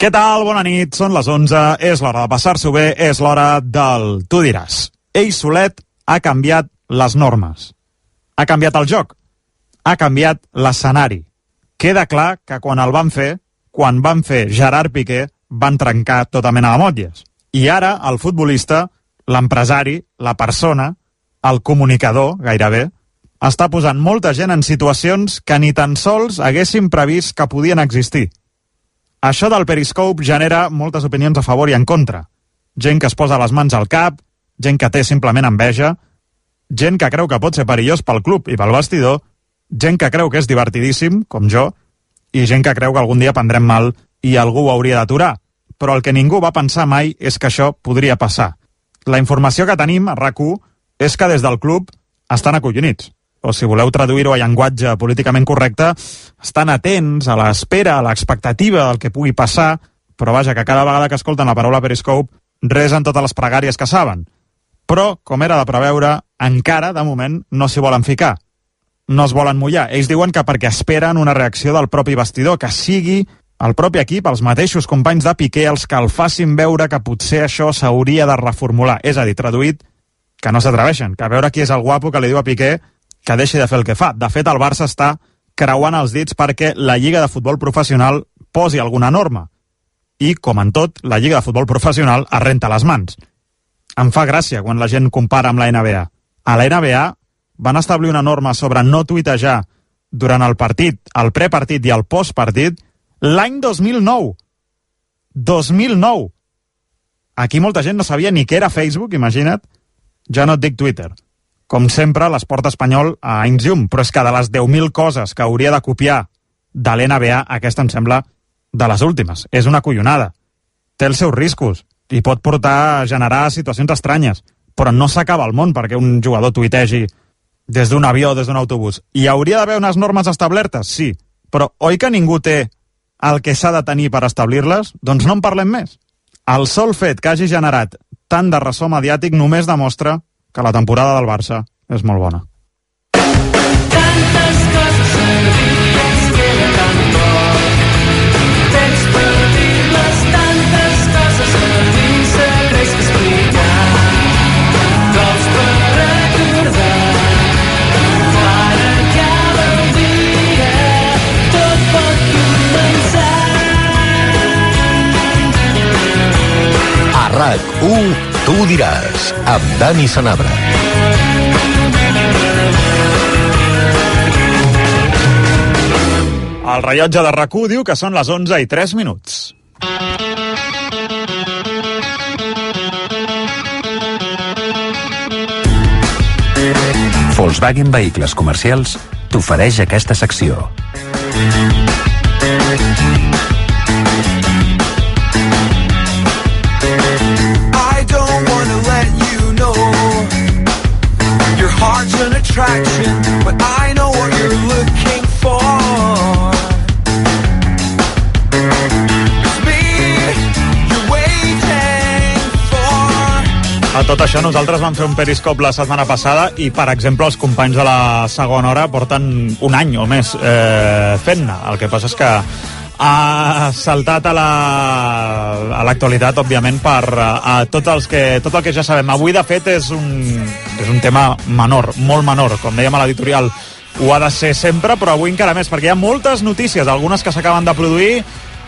Què tal? Bona nit, són les 11, és l'hora de passar-s'ho bé, és l'hora del Tu diràs. Ell solet ha canviat les normes. Ha canviat el joc. Ha canviat l'escenari. Queda clar que quan van fer Gerard Piqué, van trencar tota mena de motlles. I ara el futbolista, l'empresari, la persona, el comunicador, gairebé, està posant molta gent en situacions que ni tan sols haguéssim previst que podien existir. Això del Periscope genera moltes opinions a favor i en contra. Gent que es posa les mans al cap, gent que té simplement enveja, gent que creu que pot ser perillós pel club i pel vestidor, gent que creu que és divertidíssim, com jo, i gent que creu que algun dia prendrem mal i algú ho hauria d'aturar. Però el que ningú va pensar mai és que això podria passar. La informació que tenim a RAC1 és que des del club estan acollonits. O si voleu traduir-ho a llenguatge políticament correcte, estan atents a l'espera, a l'expectativa del que pugui passar, però vaja, que cada vegada que escolten la paraula Periscope resen totes les pregàries que saben. Però, com era de preveure, encara, de moment, no s'hi volen ficar. No es volen mullar. Ells diuen que perquè esperen una reacció del propi vestidor, que sigui el propi equip, els mateixos companys de Piqué, els que el facin veure que potser això s'hauria de reformular. És a dir, traduït, que no s'atreveixen, que a veure qui és el guapo que li diu a Piqué que deixi de fer el que fa. De fet, el Barça està creuant els dits perquè la Lliga de Futbol Professional posi alguna norma. I, com en tot, la Lliga de Futbol Professional es renta les mans. Em fa gràcia quan la gent compara amb la NBA. A la NBA van establir una norma sobre no tuitejar durant el partit, el prepartit i el postpartit l'any 2009. 2009! Aquí molta gent no sabia ni què era Facebook, imagina't. Ja no et dic Twitter. Com sempre, l'esport espanyol a anys llum, però és que de les 10.000 coses que hauria de copiar de l'NBA, aquesta em sembla de les últimes. És una collonada. Té els seus riscos i pot portar a generar situacions estranyes, però no s'acaba el món perquè un jugador tuitegi des d'un avió o des d'un autobús. Hi hauria d'haver unes normes establertes? Sí, però oi que ningú té el que s'ha de tenir per establir-les? Doncs no en parlem més. El sol fet que hagi generat tant de ressò mediàtic només demostra que la temporada del Barça és molt bona. Tantes coses a dir, ens queda tan poc temps per dir-les, tantes coses a dir, serveis que explicar, cops per recordar, quan acaba el dia, tot pot començar. A RAC1, Tu diràs, amb Dani Sanabra. El rellotge de RAC1 diu que són les 11:03. Volkswagen Vehicles Comercials t'ofereix aquesta secció. Heart's an attraction, but I know what you're looking for. It's me you're waiting for. A tot això nosaltres vam fer un Periscope la setmana passada i, per exemple, els companys de la segona hora porten un any o més fent-ne. El que passa és que ha saltat a l'actualitat, òbviament, per tot el que ja sabem. Avui, de fet, és un tema menor, molt menor. Com dèiem a l'editorial, ho ha de ser sempre, però avui encara més, perquè hi ha moltes notícies, algunes que s'acaben de produir,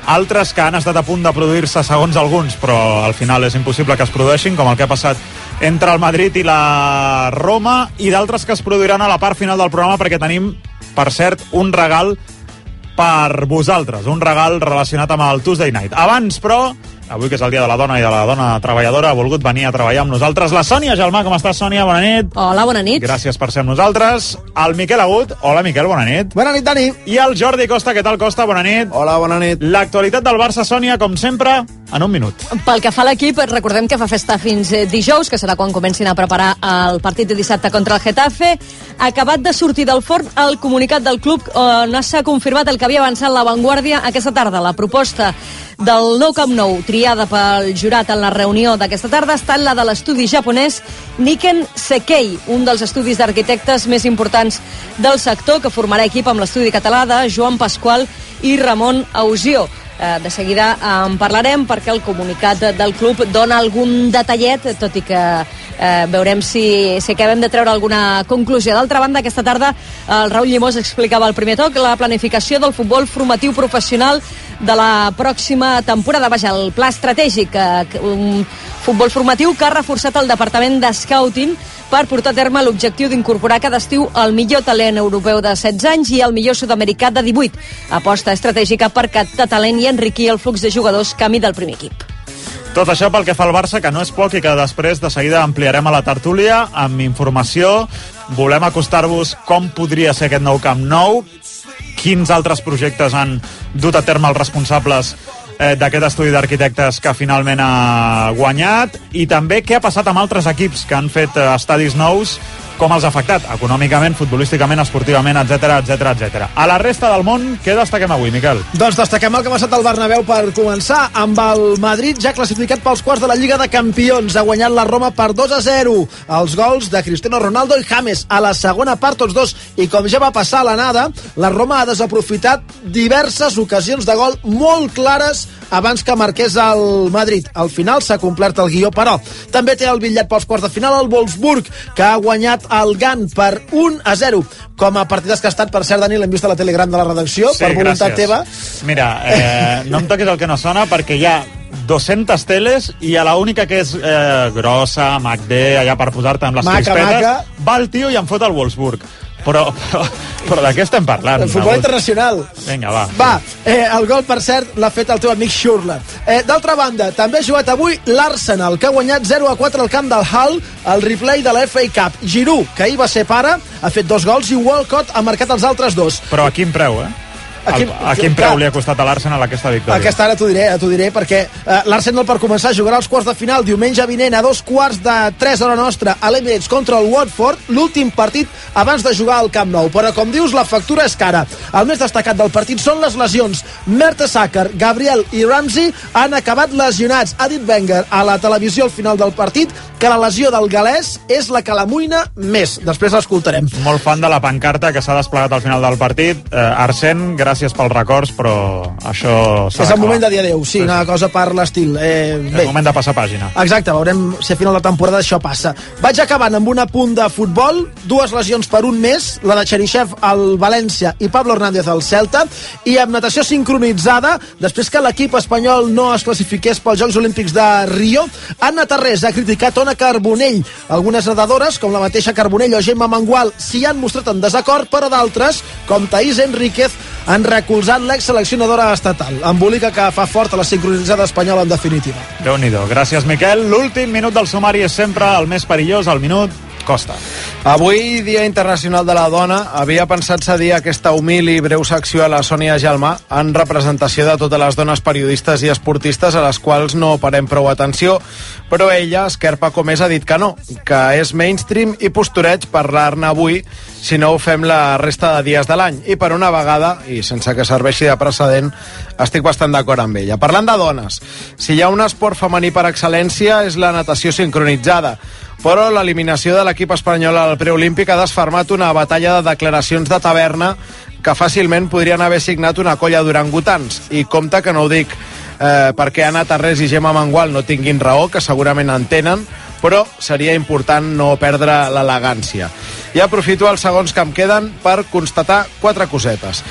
altres que han estat a punt de produir-se segons alguns, però al final és impossible que es produeixin, com el que ha passat entre el Madrid i la Roma, i d'altres que es produiran a la part final del programa, perquè tenim, per cert, un regal per vosaltres, un regal relacionat amb el Tuesday Night. Abans, però, avui que és el dia de la dona i de la dona treballadora, ha volgut venir a treballar amb nosaltres la Sònia Gelmà. Com estàs, Sònia? Bona nit. Hola, bona nit. Gràcies per ser amb nosaltres. El Miquel Agut. Hola, Miquel, bona nit. Bona nit, Dani. I el Jordi Costa. Què tal, Costa? Bona nit. Hola, bona nit. L'actualitat del Barça, Sònia, com sempre, en un minut. Pel que fa a l'equip, recordem que fa festa fins dijous, que serà quan comencin a preparar el partit de dissabte contra el Getafe. Acabat de sortir del forn el comunicat del club on s'ha confirmat el que havia avançat l'avantguàrdia aquesta tarda. La proposta del nou Camp Nou, triada pel jurat en la reunió d'aquesta tarda, ha estat la de l'estudi japonès Nikken Sekkei, un dels estudis d'arquitectes més importants del sector, que formarà equip amb l'estudi català de Joan Pasqual i Ramon Ausió. De seguida en parlarem perquè el comunicat del club dona algun detallet, tot i que veurem si acabem de treure alguna conclusió. D'altra banda, aquesta tarda el Raül Llimós explicava al primer toc la planificació del futbol formatiu professional de la pròxima temporada. Vaja, el pla estratègic, un futbol formatiu que ha reforçat el departament de scouting per portar a terme l'objectiu d'incorporar cada estiu el millor talent europeu de 16 anys i el millor sud-americà de 18. Aposta estratègica per captar talent i enriquir el flux de jugadors camí del primer equip. Tot això pel que fa al Barça, que no és poc i que després de seguida ampliarem a la tertúlia amb informació. Volem acostar-vos com podria ser aquest nou Camp Nou, quins altres projectes han dut a terme els responsables d'aquest estudi d'arquitectes que finalment ha guanyat, i també què ha passat amb altres equips que han fet estadis nous, com els ha afectat econòmicament, futbolísticament, esportivament, etc. A la resta del món, què destaquem avui, Miquel? Doncs destaquem el que ha passat al Bernabéu per començar, amb el Madrid ja classificat pels quarts de la Lliga de Campions. Ha guanyat la Roma per 2-0. Els gols de Cristiano Ronaldo i James a la segona part, tots dos, i com ja va passar a l'anada, la Roma ha desaprofitat diverses ocasions de gol molt clares abans que marqués el Madrid. Al final s'ha complert el guió, però també té el bitllet pels quarts de final el Wolfsburg, que ha guanyat el Gant per 1-0. Com a partidàs que ha estat, per cert, Dani, l'hem vist a la Telegram de la redacció, sí, per voluntat teva. Mira, no em toquis el que no sona, perquè hi ha 200 teles i a l'única que és grossa, MacD, allà per posar-te amb les crispetes, va el tio i em fot el Wolfsburg. Però de què estem parlant? El futbol internacional. Vinga, va. Va, el gol, per cert, l'ha fet el teu amic Schürrle. D'altra banda, també ha jugat avui l'Arsenal, que ha guanyat 0-4 al camp del Hull, el replay de la FA Cup. Giroud, que ahir va ser pare, ha fet 2 gols i Walcott ha marcat els altres 2. Però a quin preu, a quin preu li ha costat a l'Arsenal aquesta victòria? Aquesta ara t'ho diré, perquè l'Arsenal, per començar, jugarà als quarts de final diumenge vinent a 2:45 hora nostra a l'Emirates contra el Watford, l'últim partit abans de jugar al Camp Nou. Però, com dius, la factura és cara. El més destacat del partit són les lesions. Mertesacker, Gabriel i Ramsey han acabat lesionats. Ha dit Wenger a la televisió al final del partit que la lesió del galès és la que l'amoïna més. Després l'escoltarem. Molt fan de la pancarta que s'ha desplegat al final del partit. Arsène, gràcies pels records, però això s'ha d'acabar. És el moment de dir adéu, sí, una cosa per l'estil. És el moment de passar pàgina. Exacte, veurem si a final de temporada això passa. Vaig acabant amb un apunt de futbol, 2 lesions per un mes, la de Cheryshev al València i Pablo Hernández al Celta, i amb natació sincronitzada, després que l'equip espanyol no es classifiqués pels Jocs Olímpics de Rio, Anna Tarrés ha criticat Ona Carbonell. Algunes nedadores, com la mateixa Carbonell o Gemma Mangual, s'hi han mostrat en desacord, però d'altres, com Thaís Enríquez, han recolzat l'ex-seleccionadora estatal. Embolica que fa fort a la sincronitzada espanyola, en definitiva. Déu-n'hi-do. Gràcies, Miquel. L'últim minut del sumari és sempre el més perillós, el minut Costa. Avui, Dia Internacional de la Dona, havia pensat cedir aquesta humil i breu secció a la Sònia Gelmà en representació de totes les dones periodistes i esportistes a les quals no parem prou atenció, però ella, esquerpa com és, ha dit que no, que és mainstream i postureig parlar-ne avui si no ho fem la resta de dies de l'any. I per una vegada, i sense que serveixi de precedent, estic bastant d'acord amb ella. Parlant de dones, si hi ha un esport femení per excel·lència és la natació sincronitzada, però l'eliminació de l'equip espanyol al preolímpic ha desfermat una batalla de declaracions de taverna que fàcilment podrien haver signat una colla d'orangutans. I compte que no ho dic perquè Anna Tarrés i Gemma Mangual no tinguin raó, que segurament en tenen, però seria important no perdre l'elegància. I aprofito els segons que em queden per constatar 4 cosetes.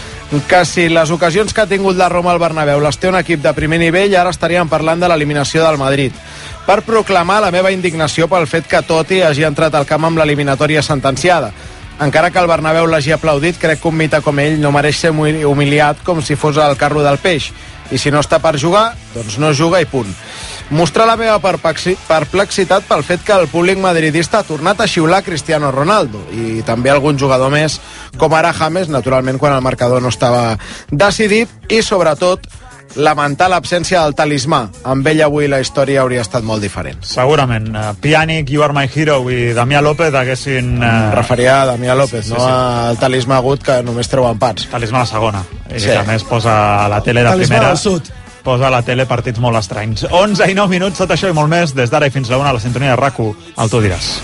Que si les ocasions que ha tingut la Roma al Bernabéu les té un equip de primer nivell, ara estaríem parlant de l'eliminació del Madrid. Per proclamar la meva indignació pel fet que Totti hagi entrat al camp amb l'eliminatòria sentenciada. Encara que el Bernabéu l'hagi aplaudit, crec que un mite com ell no mereix ser humiliat com si fos el carro del peix. I si no està per jugar, doncs no juga i punt. Mostrar la meva perplexitat pel fet que el públic madridista ha tornat a xiular Cristiano Ronaldo i també algun jugador més, com ara James, naturalment quan el marcador no estava decidit, i sobretot lamentar l'absència del talismà. Amb ell avui la història hauria estat molt diferent. Segurament. Pjanic, You Are My Hero i Damià López haguessin... referia a Damià López, sí, no al talismà agut que només treu empats. Talismà a la segona. I que a més posa a la tele de talismà primera... del sud. Posa a la tele partits molt estranys. 11 i 9 minuts, tot això i molt més, des d'ara i fins a la 1 a la sintonia de RAC1. El Tu diràs.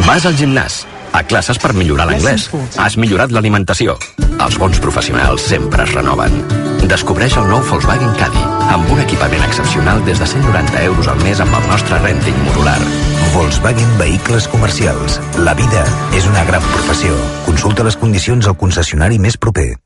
Vas al gimnàs, A classes per millorar l'anglès. Has millorat l'alimentació. Els bons professionals sempre es renoven. Descobreix el nou Volkswagen Caddy, amb un equipament excepcional des de 190 euros al mes amb el nostre renting modular. Volkswagen Vehicles Comercials. La vida és una gran professió. Consulta les condicions al concessionari més proper.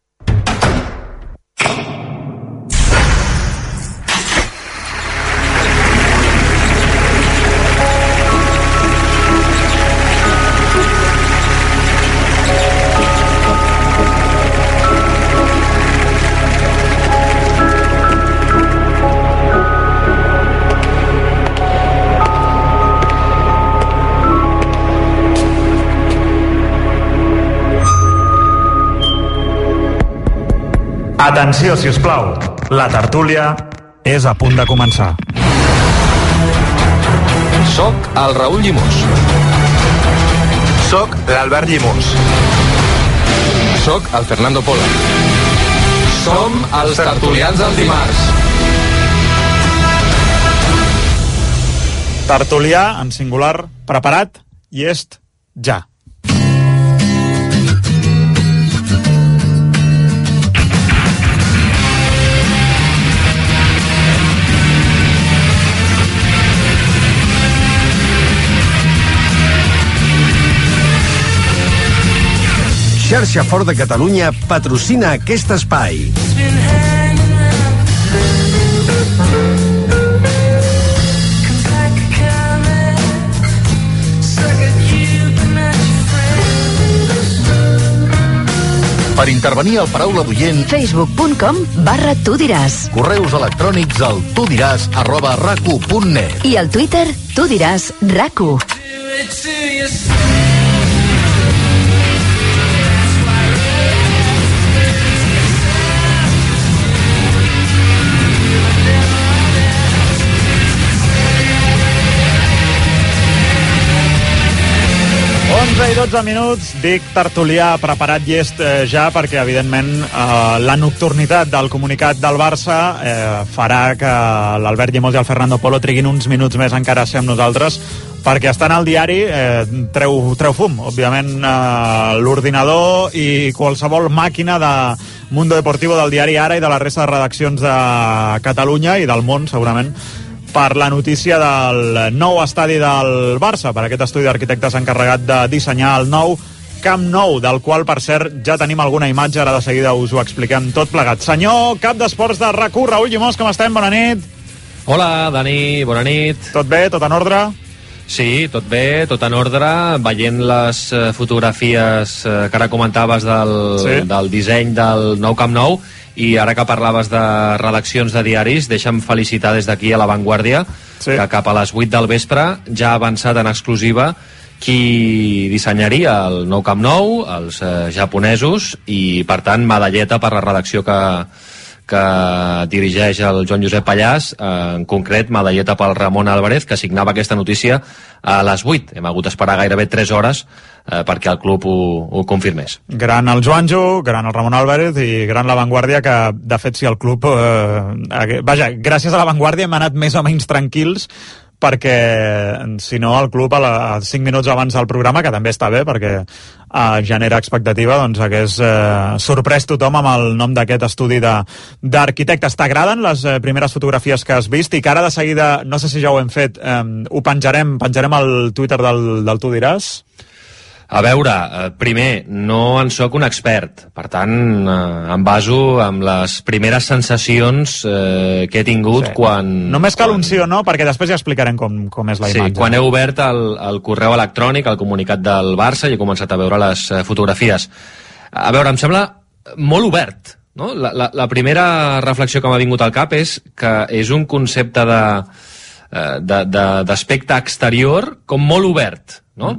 Atenció, si us plau. La tertúlia és a punt de començar. Soc el Raül Llimós. Soc l'Albert Llimós. Soc el Fernando Polo. Som els tertulians del dimarts. Tertulià, en singular, preparat i est ja. Xarxa Fort de Catalunya patrocina aquest espai. Per intervenir al paraula d'oient, facebook.com/tu diràs. Correus electrònics al tudiràs@racu.net. I al Twitter, tu diràs RACU. I 12 minuts, dic tertulià preparat i est ja, perquè evidentment la nocturnitat del comunicat del Barça farà que l'Albert Llimós i el Fernando Polo triguin uns minuts més encara a ser amb nosaltres, perquè estan al diari, treu fum, òbviament l'ordinador i qualsevol màquina de Mundo Deportivo, del diari Ara i de la resta de redaccions de Catalunya i del món, segurament, per la notícia del nou estadi del Barça, per aquest estudi d'arquitectes encarregat de dissenyar el nou Camp Nou, del qual, per cert, ja tenim alguna imatge, ara de seguida us ho expliquem tot plegat. Senyor cap d'esports de RAC1, Raül Llimós, com estem? Bona nit. Hola, Dani, bona nit. Tot bé? Tot en ordre? Sí, tot bé, tot en ordre, veient les fotografies que ara comentaves del disseny del nou Camp Nou. I ara que parlaves de redaccions de diaris, deixa'm felicitar des d'aquí a La Vanguardia, que cap a les 8 del vespre ja ha avançat en exclusiva qui dissenyaria el nou Camp Nou, els japonesos, i per tant medalleta per la redacció que dirigeix el Joan Josep Pallàs, en concret medalleta pel Ramon Álvarez, que signava aquesta notícia a les 8. Hem hagut d'esperar gairebé 3 hores perquè el club ho confirmés. Gran el Joanjo, gran el Ramon Álvarez i gran La Vanguardia, que de fet si el club vaja, gràcies a La Vanguardia hem anat més o menys tranquils, perquè si no el club a 5 minuts abans del programa, que també està bé perquè genera expectativa, doncs hagués sorprès tothom amb el nom d'aquest estudi d'arquitectes. T'agraden les primeres fotografies que has vist i que ara de seguida, no sé si ja ho hem fet, ho penjarem al Twitter del Tu diràs? A veure, primer, no en sóc un expert, per tant, em baso en les primeres sensacions que he tingut quan... Només cal un sí o no, perquè després ja explicarem com és la imatge. Sí, quan he obert el correu electrònic, el comunicat del Barça, i he començat a veure les fotografies. A veure, em sembla molt obert, no? La primera reflexió que m'ha vingut al cap és que és un concepte d'aspecte exterior com molt obert, no?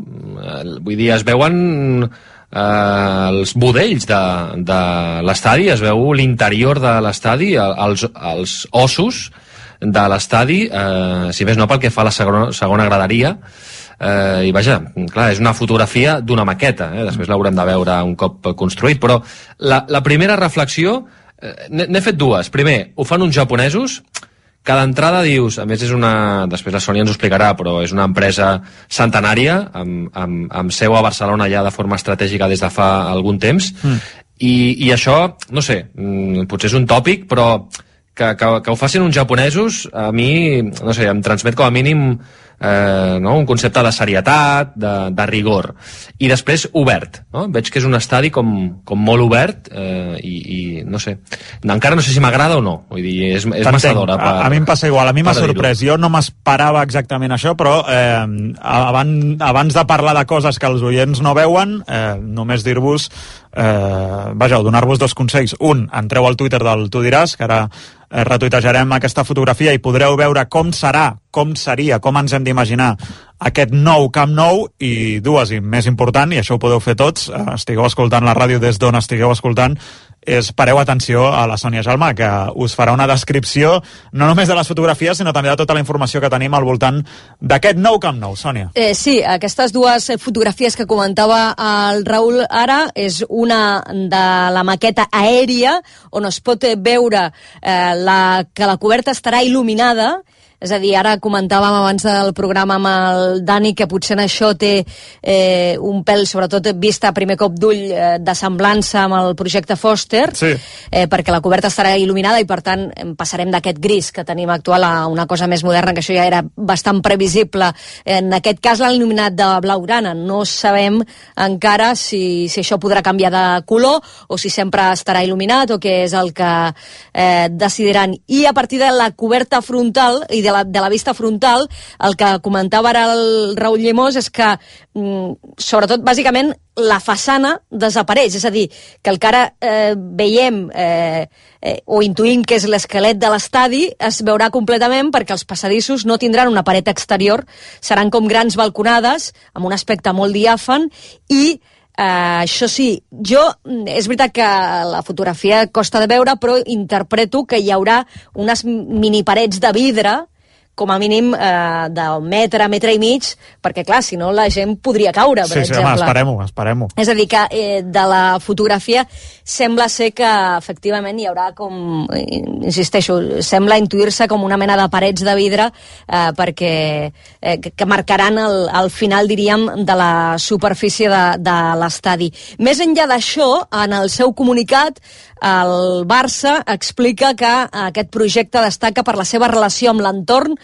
Vull dir, es veuen els budells de l'estadi, es veu l'interior de l'estadi, els ossos de l'estadi, si més no pel que fa a la segona graderia, i vaja, clar, és una fotografia d'una maqueta, després l'haurem de veure un cop construït, però la primera reflexió, n'he fet dues. Primer, ho fan uns japonesos cada entrada dius, a més després la Sònia ens ho explicarà, però és una empresa centenària, amb seu a Barcelona ja de forma estratègica des de fa algun temps, i això, no sé, potser és un tòpic, però que ho facin uns japonesos, a mi, no sé, em transmet com a mínim un concepte de serietat, de rigor, i després obert, no? Veig que és un estadi com molt obert, i no sé, encara no sé si m'agrada o no, vull dir, és massa d'hora a mi em passa igual, a mi m'ha sorprès, jo no m'esperava exactament això, però abans de parlar de coses que els oients no veuen, només dir-vos donar-vos dos consells. Un, entreu al Twitter del Tu diràs, que ara retuitejarem aquesta fotografia i podreu veure com serà, com seria, com ens hem d'imaginar aquest nou Camp Nou, i dues, i més important, i això ho podeu fer tots, estigueu escoltant la ràdio des d'on estigueu escoltant, pareu atenció a la Sònia Jalmà, que us farà una descripció no només de les fotografies, sinó també de tota la informació que tenim al voltant d'aquest nou Camp Nou. Sònia. Sí, aquestes dues fotografies que comentava el Raül ara és una de la maqueta aèria, on es pot veure que la coberta estarà il·luminada. És a dir, ara comentàvem abans del programa amb el Dani que potser en això té un pèl, sobretot vista a primer cop d'ull, de semblança amb el projecte Foster, perquè la coberta estarà il·luminada i per tant passarem d'aquest gris que tenim actual a una cosa més moderna, que això ja era bastant previsible. En aquest cas l'han il·luminat de blaugrana. No sabem encara si això podrà canviar de color o si sempre estarà il·luminat o què és el que decidiran. I a partir de la coberta frontal i de la vista frontal, el que comentava ara el Raül Llimós és que, sobretot, bàsicament, la façana desapareix. És a dir, que el que ara veiem o intuïm que és l'esquelet de l'estadi es veurà completament, perquè els passadissos no tindran una paret exterior, seran com grans balconades, amb un aspecte molt diàfan, i això sí, és veritat que la fotografia costa de veure, però interpreto que hi haurà unes mini parets de vidre, com a mínim d'un metre, metre i mig, perquè clar, si no la gent podria caure, per exemple. Sí, esperem-ho. És a dir, que de la fotografia sembla ser que efectivament hi haurà com, insisteixo, sembla intuir-se com una mena de parets de vidre perquè que marcaran el final, diríem, de la superfície de l'estadi. Més enllà d'això, en el seu comunicat, el Barça explica que aquest projecte destaca per la seva relació amb l'entorn,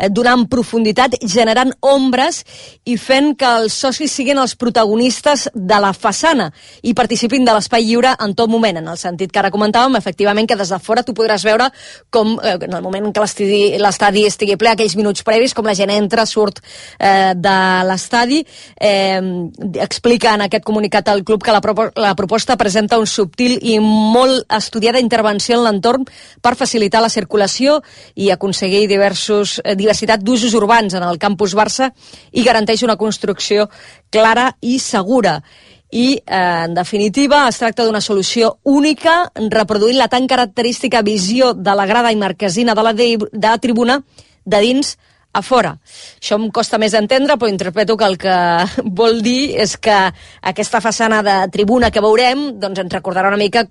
donant profunditat, generant ombres i fent que els socis siguin els protagonistes de la façana i participin de l'espai lliure en tot moment, en el sentit que ara comentàvem, efectivament, que des de fora tu podràs veure com, en el moment que l'estadi estigui ple, aquells minuts previs, com la gent entra, surt de l'estadi. Explica en aquest comunicat al club que la proposta presenta un subtil i molt estudiada intervenció en l'entorn per facilitar la circulació i aconseguir diversitat d'usos urbans en el campus Barça i garanteix una construcció clara i segura. I, en definitiva, es tracta d'una solució única, reproduint la tan característica visió de la grada i marquesina de la tribuna de dins a fora. Això em costa més d'entendre, però interpreto que el que vol dir és que aquesta façana de tribuna que veurem doncs ens recordarà una mica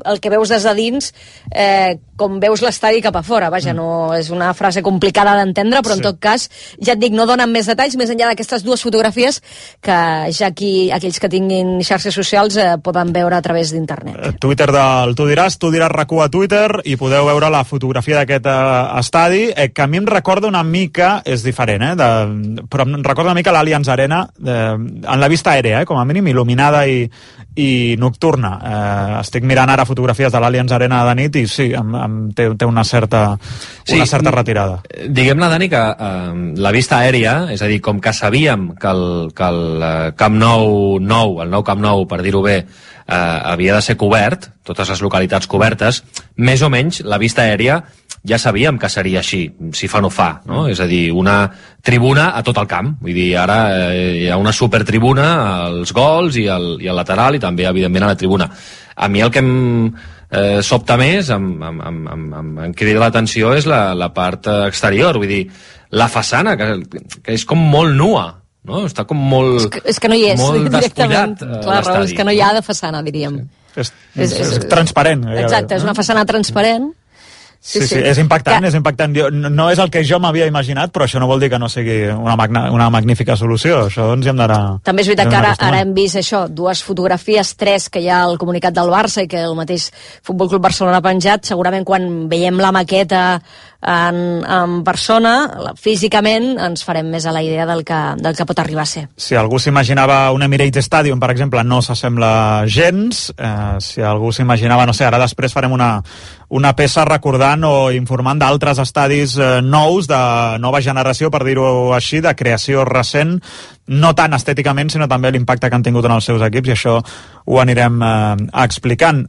el que veus des de dins, com veus l'estadi cap a fora. Vaja, no és una frase complicada d'entendre, però en tot cas, ja et dic, no donen més detalls, més enllà d'aquestes dues fotografies que ja aquells que tinguin xarxes socials poden veure a través d'internet. Twitter del Tu diràs RAC1 a Twitter, i podeu veure la fotografia d'aquest estadi, que a mi em recorda una mica, és diferent, però em recorda una mica l'Allianz Arena, en la vista aèrea, com a mínim, il·luminada i nocturna. Estic mirant ara fotografies de l'Allianz Arena de nit i sí, té una certa retirada. Diguem-ne, Dani, que la vista aèria, és a dir, com que sabíem que el Camp Nou, el nou Camp Nou, per dir-ho bé, havia de ser cobert, totes les localitats cobertes, més o menys la vista aèria ja sabíem que seria així, si fa no fa, no? És a dir, una tribuna a tot el camp. Vull dir, ara hi ha una supertribuna als gols i al lateral i també, evidentment, a la tribuna. A mi el que em sobta més, em crida l'atenció, és la part exterior. Vull dir, la façana, que és com molt nua, no? Està com molt... És que no hi és, molt despullat, clar, Raül, és que no hi ha de façana, diríem. És transparent. Exacte, és una façana transparent. Sí, és impactant, és impactant. No és el que jo m'havia imaginat, però això no vol dir que no sigui una magnífica solució. Això ens hi hem d'anar... També és veritat que ara hem vist això, 2 fotografies, 3 que hi ha al comunicat del Barça i que el mateix Futbol Club Barcelona ha penjat. Segurament quan veiem la maqueta en persona, físicament, ens farem més a la idea del que pot arribar a ser. Si algú s'imaginava un Emirates Stadium, per exemple, no s'assembla gens. Si algú s'imaginava, no sé, ara després farem una peça recordant o informant d'altres estadis nous, de nova generació, per dir-ho així, de creació recent, no tant estèticament, sinó també l'impacte que han tingut en els seus equips, i això ho anirem explicant.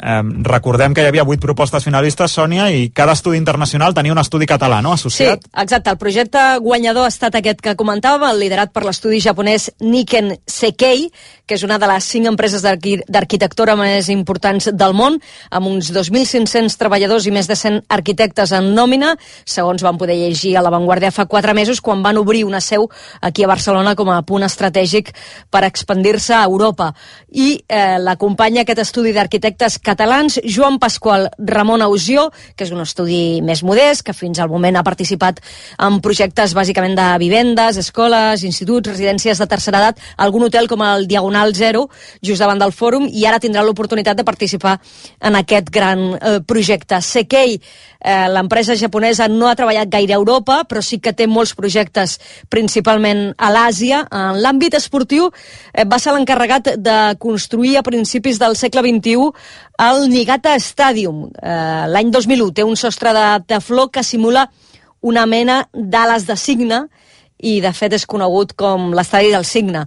Recordem que hi havia 8 propostes finalistes, Sònia, i cada estudi internacional tenia un estudi català, no?, associat. Sí, exacte. El projecte guanyador ha estat aquest que comentàvem, el liderat per l'estudi japonès Nikken Seikei, que és una de les 5 empreses d'arquitectura més importants del món, amb uns 2.500 treballadors i més de 100 arquitectes en nòmina, segons van poder llegir a La Vanguardia fa 4 mesos, quan van obrir una seu aquí a Barcelona com a punt estratègic per expandir-se a Europa. I l'acompanya aquest estudi d'arquitectes catalans Joan Pasqual Ramon Ausió, que és un estudi més modest, que fins al moment ha participat en projectes bàsicament de vivendes, escoles, instituts, residències de tercera edat, algun hotel com el Diagonal Zero, just davant del fòrum, i ara tindrà l'oportunitat de participar en aquest gran projecte. Seikei, l'empresa japonesa, no ha treballat gaire a Europa, però sí que té molts projectes, principalment a l'Àsia. En l'àmbit esportiu va ser l'encarregat de construir a principis del segle XXI el Niigata Stadium. L'any 2001 té un sostre de tefló que simula una mena d'ales de cigne, i de fet és conegut com l'estadi del Cigne.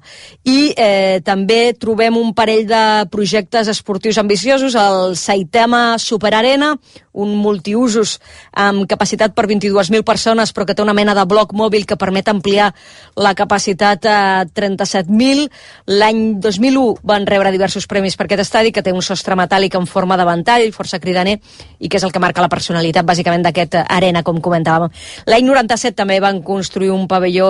I també trobem un parell de projectes esportius ambiciosos, el Saitama Super Arena, un multiusos amb capacitat per 22.000 persones, però que té una mena de bloc mòbil que permet ampliar la capacitat a 37.000. L'any 2001 van rebre diversos premis per aquest estadi, que té un sostre metàl·lic en forma de ventall, força cridaner, i que és el que marca la personalitat, bàsicament, d'aquest arena, com comentàvem. L'any 97 també van construir un pavelló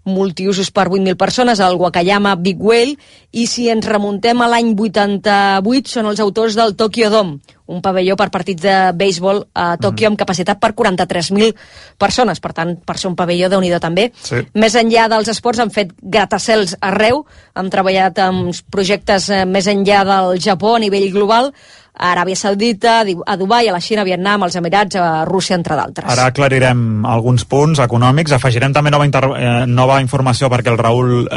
multiusos per 8.000 persones, el Wakayama Big Whale, i si ens remuntem a l'any 88 són els autors del Tokyo Dome, un pavelló per partits de béisbol a Tòquio amb capacitat per 43.000 persones, per tant, per ser un pavelló, Déu-n'hi-do també. Sí. Més enllà dels esports han fet gratacels arreu, han treballat en projectes més enllà del Japó a nivell global, a Aràbia Saudita, a Dubai, a la Xina, a Vietnam, als Emirats, a Rússia, entre d'altres. Ara aclarirem alguns punts econòmics, afegirem també nova informació perquè el Raül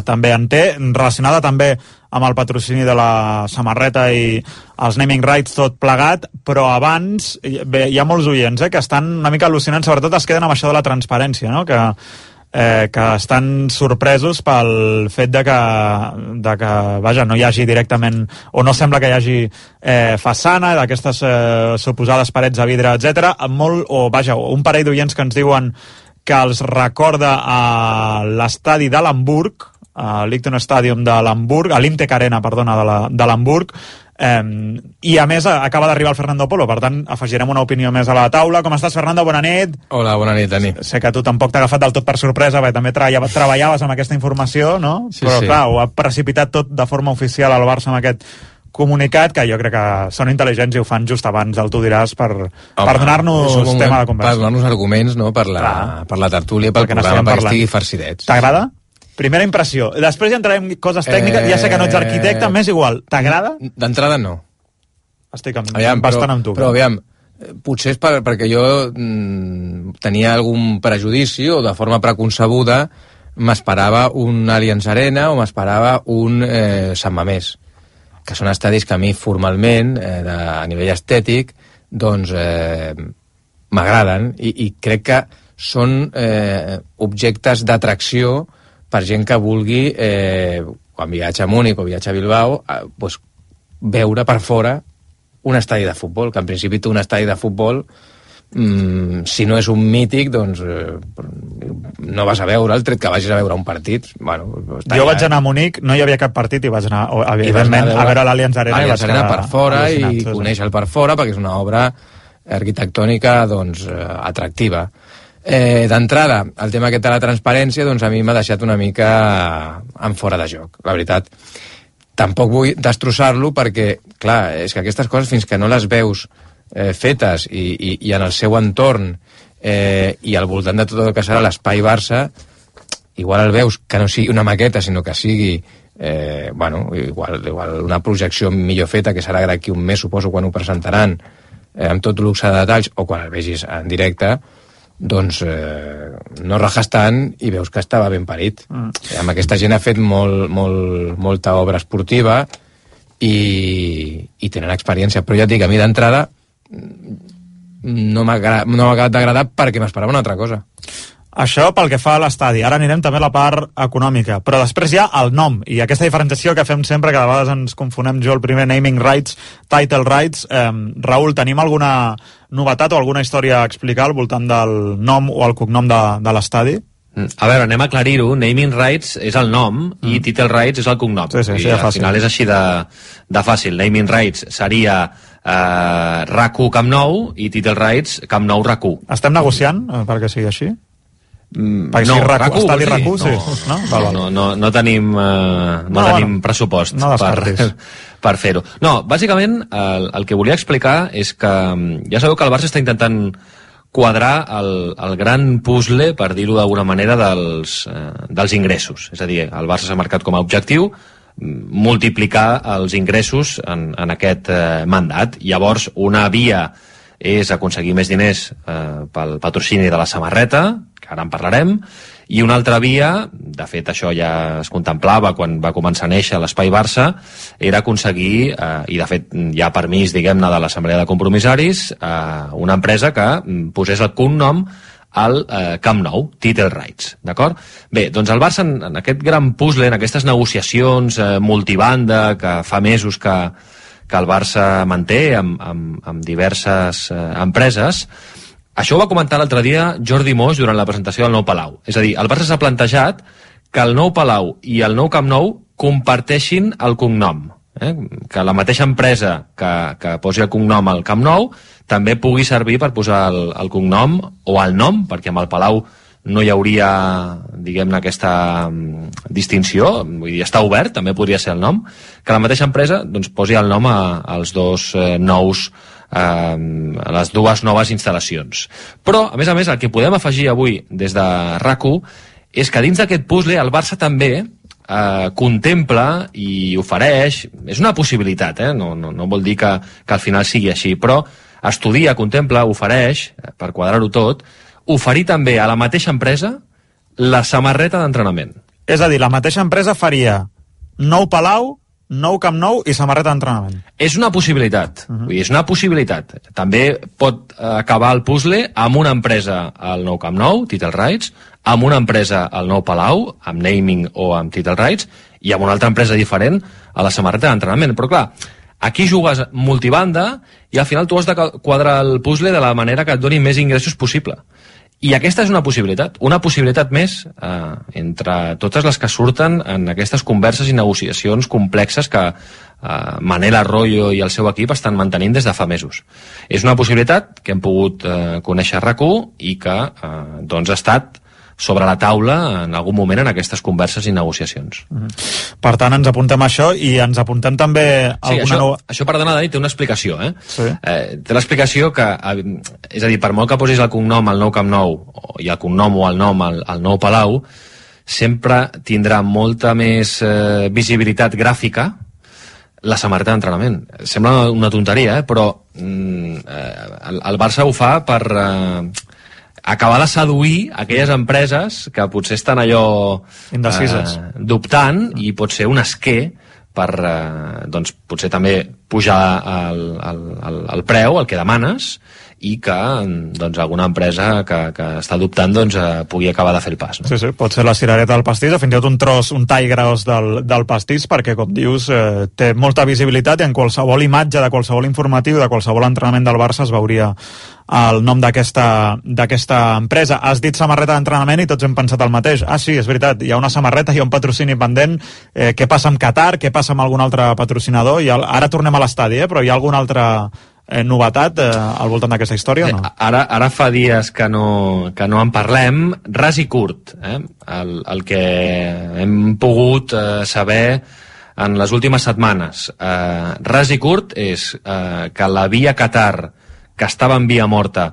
també en té, relacionada també amb el patrocini de la samarreta i els naming rights, tot plegat, però abans hi ha molts oients que estan una mica al·lucinants, sobretot es queden amb això de la transparència, no?, que estan sorpresos pel fet de que vaja, no hi hagi directament, o no sembla que hi hagi façana, d'aquestes suposades parets de vidre, etc. Un parell d'oients que ens diuen que els recorda a l'estadi de l'Hamburg, a l'Ichton Stadium de l'Hamburg, a l'Imtec Arena, perdona, de l'Hamburg, i a més acaba d'arribar el Fernando Polo, per tant afegirem una opinió més a la taula. Com estàs, Fernando? Bona nit. Hola, bona nit, Dani. Sé que tu tampoc t'ha agafat del tot per sorpresa, perquè també treballaves amb aquesta informació, no? Sí, però sí. Clar, ho ha precipitat tot de forma oficial al Barça amb aquest comunicat, que jo crec que són intel·ligents i ho fan just abans del Tu diràs per donar-nos tema de conversa. Per donar-nos arguments, no?, per la tertúlia, pel programa, perquè estigui farcidets. T'agrada? Primera impressió. Després ja entrarem en coses tècniques. Ja sé que no ets arquitecte, m'és igual. T'agrada? D'entrada no. Estic bastant amb tu. Però aviam, potser és perquè jo tenia algun prejudici o de forma preconcebuda m'esperava un Allianz Arena o m'esperava un Sant Mamés, que són estadis que a mi formalment, a nivell estètic, doncs m'agraden i crec que són objectes d'atracció per gent que vulgui, quan viatja a Múnich o viatja a Bilbao, veure per fora un estadi de futbol, que en principi té un estadi de futbol, si no és un mític, doncs no vas a veure'l, tret que vagis a veure un partit. Jo vaig anar a Múnich, no hi havia cap partit i vaig anar, evidentment, a veure l'Allianz Arena. L'Allianz Arena per fora i conèixer-el per fora, perquè és una obra arquitectònica atractiva. D'entrada, el tema aquest de la transparència, doncs a mi m'ha deixat una mica en fora de joc, la veritat. Tampoc vull destrossar-lo perquè, clar, és que aquestes coses fins que no les veus fetes i en el seu entorn i al voltant de tot el que serà l'espai Barça, igual el veus que no sigui una maqueta, sinó que sigui igual una projecció millor feta, que serà d'aquí un mes, suposo, quan ho presentaran, amb tot luxe de detalls, o quan el vegis en directe, doncs no rajes tant i veus que estava ben parit. Amb aquesta gent ha fet molta obra esportiva i tenen experiència, però ja et dic, a mi d'entrada no m'ha acabat d'agradar perquè m'esperava una altra cosa. Això pel que fa a l'estadi. Ara anirem també a la part econòmica, però després hi ha el nom, i aquesta diferenciació que fem sempre, que de vegades ens confonem, jo el primer, naming rights, title rights. Raül, tenim alguna novetat o alguna història a explicar al voltant del nom o el cognom de l'estadi? A veure, anem a aclarir-ho. Naming rights és el nom i title rights és el cognom. Sí, I al final és així de fàcil. Naming rights seria RAC1 Camp Nou i title rights Camp Nou RAC1. Estem negociant perquè sigui així? No, no tenim pressupost per fer-ho. No, bàsicament el que volia explicar és que ja sabeu que el Barça està intentant quadrar el gran puzzle, per dir-ho d'alguna manera, dels ingressos. És a dir, el Barça s'ha marcat com a objectiu multiplicar els ingressos en aquest mandat. Llavors, una via és aconseguir més diners pel patrocini de la samarreta, que ara en parlarem, i una altra via, de fet això ja es contemplava quan va començar a néixer l'Espai Barça, era aconseguir, i de fet hi ha permís, diguem-ne, de l'Assemblea de Compromissaris, una empresa que posés el cognom al Camp Nou, title rights, d'acord? Bé, doncs el Barça en aquest gran puzzle, en aquestes negociacions multibanda que fa mesos que el Barça manté amb diverses empreses, això ho va comentar l'altre dia Jordi Moix durant la presentació del nou Palau. És a dir, el Barça s'ha plantejat que el nou Palau i el nou Camp Nou comparteixin el cognom. Que la mateixa empresa que posi el cognom al Camp Nou també pugui servir per posar el cognom o el nom, perquè amb el Palau no hi hauria, diguem-ne, aquesta distinció, vull dir, està obert, també podria ser el nom, que la mateixa empresa doncs, posi el nom als dos nous a les dues noves instal·lacions. Però, a més, el que podem afegir avui des de RAC1 és que dins d'aquest puzzle el Barça també contempla i ofereix, és una possibilitat, no vol dir que al final sigui així, però estudia, contempla, ofereix, per quadrar-ho tot, oferir també a la mateixa empresa la samarreta d'entrenament. És a dir, la mateixa empresa faria nou Palau, nou Camp Nou i samarreta d'entrenament. És una possibilitat. Vull dir, és una possibilitat. També pot acabar el puzzle amb una empresa al nou Camp Nou, title rights, amb una empresa al nou Palau, amb naming o amb title rights, i amb una altra empresa diferent a la samarreta d'entrenament. Però clar, aquí jugues multibanda i al final tu has de quadrar el puzzle de la manera que et doni més ingressos possible. I aquesta és una possibilitat més entre totes les que surten en aquestes converses i negociacions complexes que Manel Arroyo i el seu equip estan mantenint des de fa mesos. És una possibilitat que hem pogut conèixer a RAC1 i que doncs ha estat sobre la taula en algun moment en aquestes converses i negociacions. Per tant, ens apuntem a això i ens apuntem també alguna... Això, perdona, Dani, té una explicació, Sí. Té l'explicació que, és a dir, per molt que posis el cognom al nou Camp Nou i el cognom o el nom al nou Palau, sempre tindrà molta més visibilitat gràfica la samarreta d'entrenament. Sembla una tonteria, però el Barça ho fa per acabar de seduir aquelles empreses que potser estan allò indecises, dubtant, i pot ser un esquer per doncs, potser també pujar el preu, el que demanes, i que doncs, alguna empresa que està dubtant doncs, pugui acabar de fer el pas. No? Sí, pot ser la cirereta del pastís, o fins i tot un tros, un tall gros del pastís, perquè, com dius, té molta visibilitat i en qualsevol imatge, de qualsevol informatiu, de qualsevol entrenament del Barça es veuria el nom d'aquesta empresa. Has dit samarreta d'entrenament i tots hem pensat el mateix. Ah, sí, és veritat, hi ha una samarreta, hi ha un patrocini pendent. Què passa amb Qatar? Què passa amb algun altre patrocinador? Ara tornem a l'estadi, però hi ha alguna altra novetat al voltant d'aquesta història o no? Ara fa dies que no en parlem. Ras i curt, el que hem pogut saber en les últimes setmanes. Ras i curt és que la via Qatar que estava en via morta,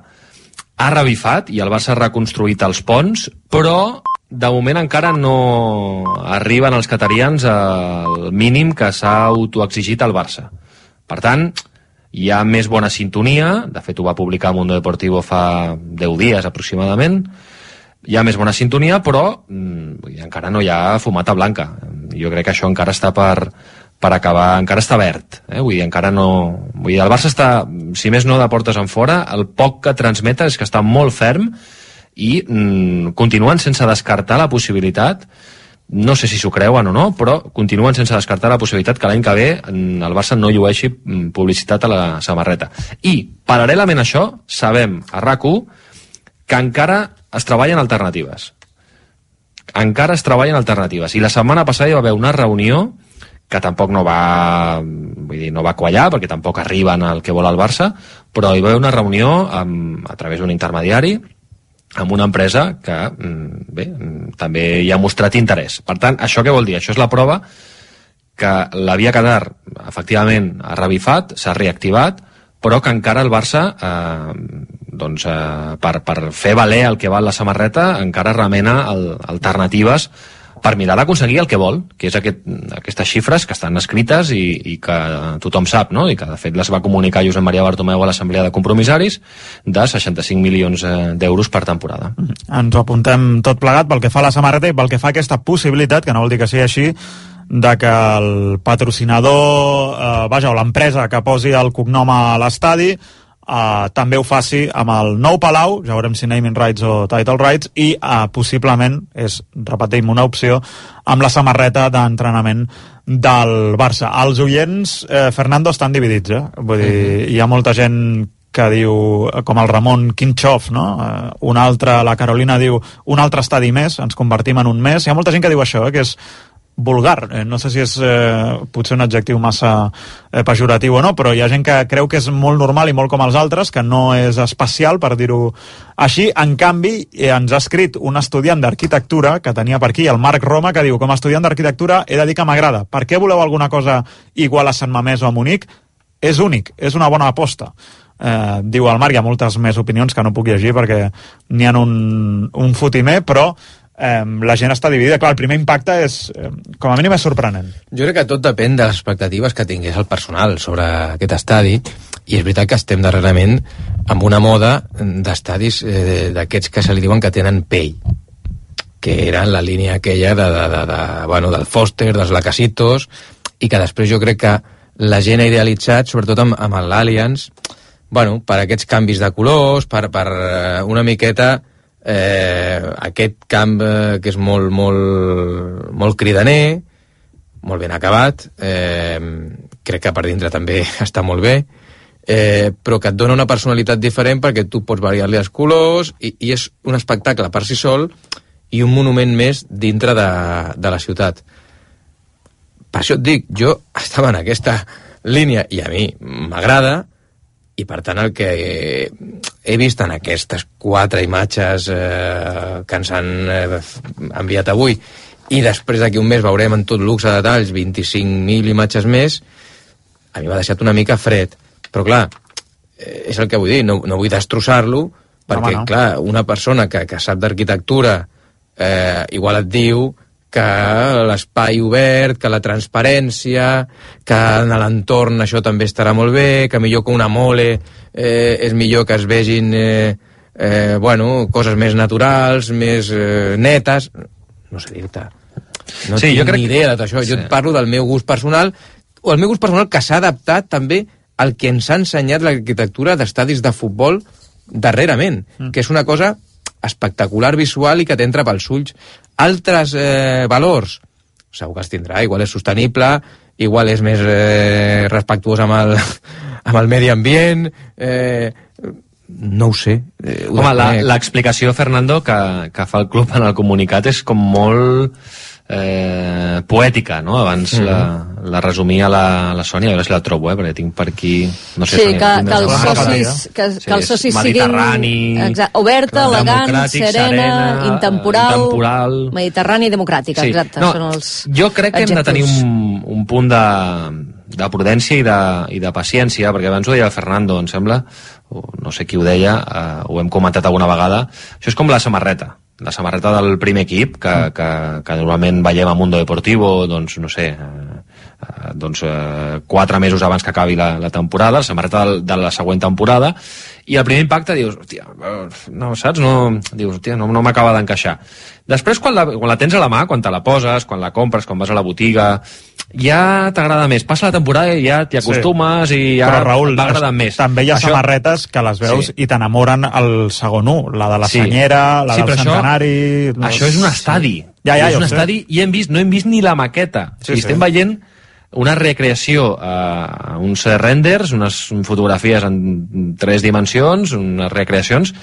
ha revifat i el Barça ha reconstruït els ponts, però de moment encara no arriben els qatarians al mínim que s'ha autoexigit al Barça. Per tant, hi ha més bona sintonia, de fet ho va publicar Mundo Deportivo fa 10 dies aproximadament, hi ha més bona sintonia, però encara no hi ha fumata blanca. Jo crec que això encara està per acabar, encara està verd, vull dir, encara no... Vull dir, el Barça està, si més no de portes en fora, el poc que transmeta és que està molt ferm i continuen sense descartar la possibilitat, no sé si s'ho creuen o no, però continuen sense descartar la possibilitat que l'any que ve el Barça no llueixi publicitat a la samarreta. I, paral·lelament a això, sabem a RAC1 que encara es treballen alternatives. Encara es treballen alternatives. I la setmana passada hi va haver una reunió que tampoc no va, vull dir, no va quallar, perquè tampoc arriben al que vol el Barça, però hi va haver una reunió a través d'un intermediari amb una empresa que, bé, també hi ha mostrat interès. Per tant, això què vol dir? Això és la prova que la via Qatar, efectivament, ha revifat, s'ha reactivat, però que encara el Barça, per fer valer el que val la samarreta, encara remena alternatives per mirar d'aconseguir el que vol, que és aquestes xifres que estan escrites i que tothom sap, no? I que de fet les va comunicar Josep Maria Bartomeu a l'Assemblea de Compromissaris, de 65 milions d'euros per temporada. Ens ho apuntem tot plegat pel que fa a la samarreta i pel que fa a aquesta possibilitat, que no vol dir que sigui així, de que el patrocinador, o l'empresa que posi el cognom a l'estadi, també ho faci amb el nou Palau, ja veurem si naming rights o title rights, i possiblement, repetim, una opció amb la samarreta d'entrenament del Barça. Els oients, Fernando, estan dividits, Vull dir, hi ha molta gent que diu, com el Ramon Quinchoff, no? Una altra, la Carolina diu, un altre estadi més, ens convertim en un més. Hi ha molta gent que diu això, que és vulgar, no sé si és potser un adjectiu massa pejoratiu o no, però hi ha gent que creu que és molt normal i molt com els altres, que no és especial, per dir-ho així. En canvi, ens ha escrit un estudiant d'arquitectura que tenia per aquí, el Marc Roma, que diu, com a estudiant d'arquitectura he de dir que m'agrada. Per què voleu alguna cosa igual a Sant Mamés o a Munic? És únic, és una bona aposta. Diu el Marc, hi ha moltes més opinions que no puc llegir perquè n'hi ha un fotimer, però la gent està dividida. Clar, el primer impacte és, com a mínim, és sorprenent. Jo crec que tot depèn de les expectatives que tingués el personal sobre aquest estadi, i és veritat que estem darrerament amb una moda d'estadis d'aquests que se li diuen que tenen pell, que eren la línia aquella del Foster, dels Lacasitos, i que després jo crec que la gent ha idealitzat, sobretot amb l'Allianz, per aquests canvis de colors, per una miqueta aquest camp que és molt cridaner, molt ben acabat, crec que per dintre també està molt bé, però que et dona una personalitat diferent perquè tu pots variar-li els colors i és un espectacle per si sol i un monument més dintre de la ciutat. Per això et dic, jo estava en aquesta línia i a mi m'agrada, i per tant el que he vist en aquestes 4 imatges que ens han enviat avui, i després d'aquí un mes veurem en tot luxe de detalls 25.000 imatges més, a mi m'ha deixat una mica fred. Però clar, és el que vull dir, no vull destrossar-lo, perquè clar, una persona que sap d'arquitectura igual et diu que l'espai obert, que la transparència, que en l'entorn això també estarà molt bé, que millor que una mole és millor que es vegin coses més naturals, més netes. No sé dir-te. No tinc ni idea de tot això. Jo et parlo del meu gust personal, o el meu gust personal que s'ha adaptat també al que ens ha ensenyat l'arquitectura d'estadis de futbol darrerament, que és una cosa espectacular visual i que t'entra pels ulls. Altres valors, segur que es tindrà, igual és sostenible, igual és més respectuós amb el medi ambient, no ho sé. Home, l'explicació, Fernando, que fa el club en el comunicat és com molt poètica, no? Abans la resumia la Sònia, a veure si la trobo, perquè tinc per aquí... No sé, sí, que els socis siguin oberta, elegant, serena, intemporal, mediterrani i democràtica, exacte. Jo crec que hem de tenir un punt prudència i de paciència, perquè abans ho deia el Fernando, em sembla, o no sé qui ho deia, ho hem comentat alguna vegada. Això és com la samarreta del primer equip, que normalment veiem a Mundo Deportivo, doncs, no sé, 4 mesos abans que acabi la temporada, la samarreta de la següent temporada, i el primer impacte dius, hòstia, no, saps? No m'acaba d'encaixar. Després, quan la tens a la mà, quan te la poses, quan la compres, quan vas a la botiga, ja t'agrada més. Passa la temporada i ja t'hi acostumes i ja va agradant més. També hi ha samarretes que les veus i t'enamoren el segon 1, la de la Senyera, la del Centenari... Això és un estadi. És un estadi i no hem vist ni la maqueta. Estem veient una recreació, uns renders, unes fotografies en 3 dimensions, unes recreacions.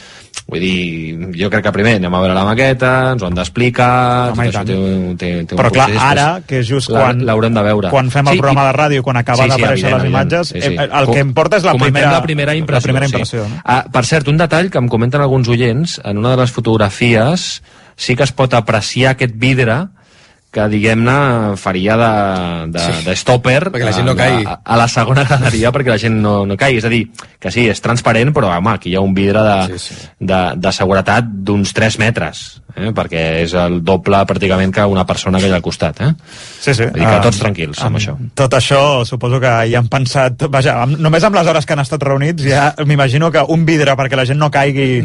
Vull dir, jo crec que primer anem a veure la maqueta, ens ho han d'explicar, tot això té un però clar, ara, que és just quan l'haurem de veure. Quan fem el programa de ràdio, quan acaba d'aparèixer les imatges, el que importa és la primera impressió. Per cert, un detall que em comenten alguns oients, en una de les fotografies sí que es pot apreciar aquest vidre que, diguem-ne, faria de stopper perquè la gent no caigui a la segona graderia perquè la gent no caigui. És a dir, que sí, és transparent, però home, aquí hi ha un vidre de seguretat d'uns 3 metres, perquè és el doble pràcticament que una persona que hi ha al costat. Sí. Vull dir que tots tranquils amb això. Tot això suposo que hi han pensat, vaja, només amb les hores que han estat reunits ja m'imagino que un vidre perquè la gent no caigui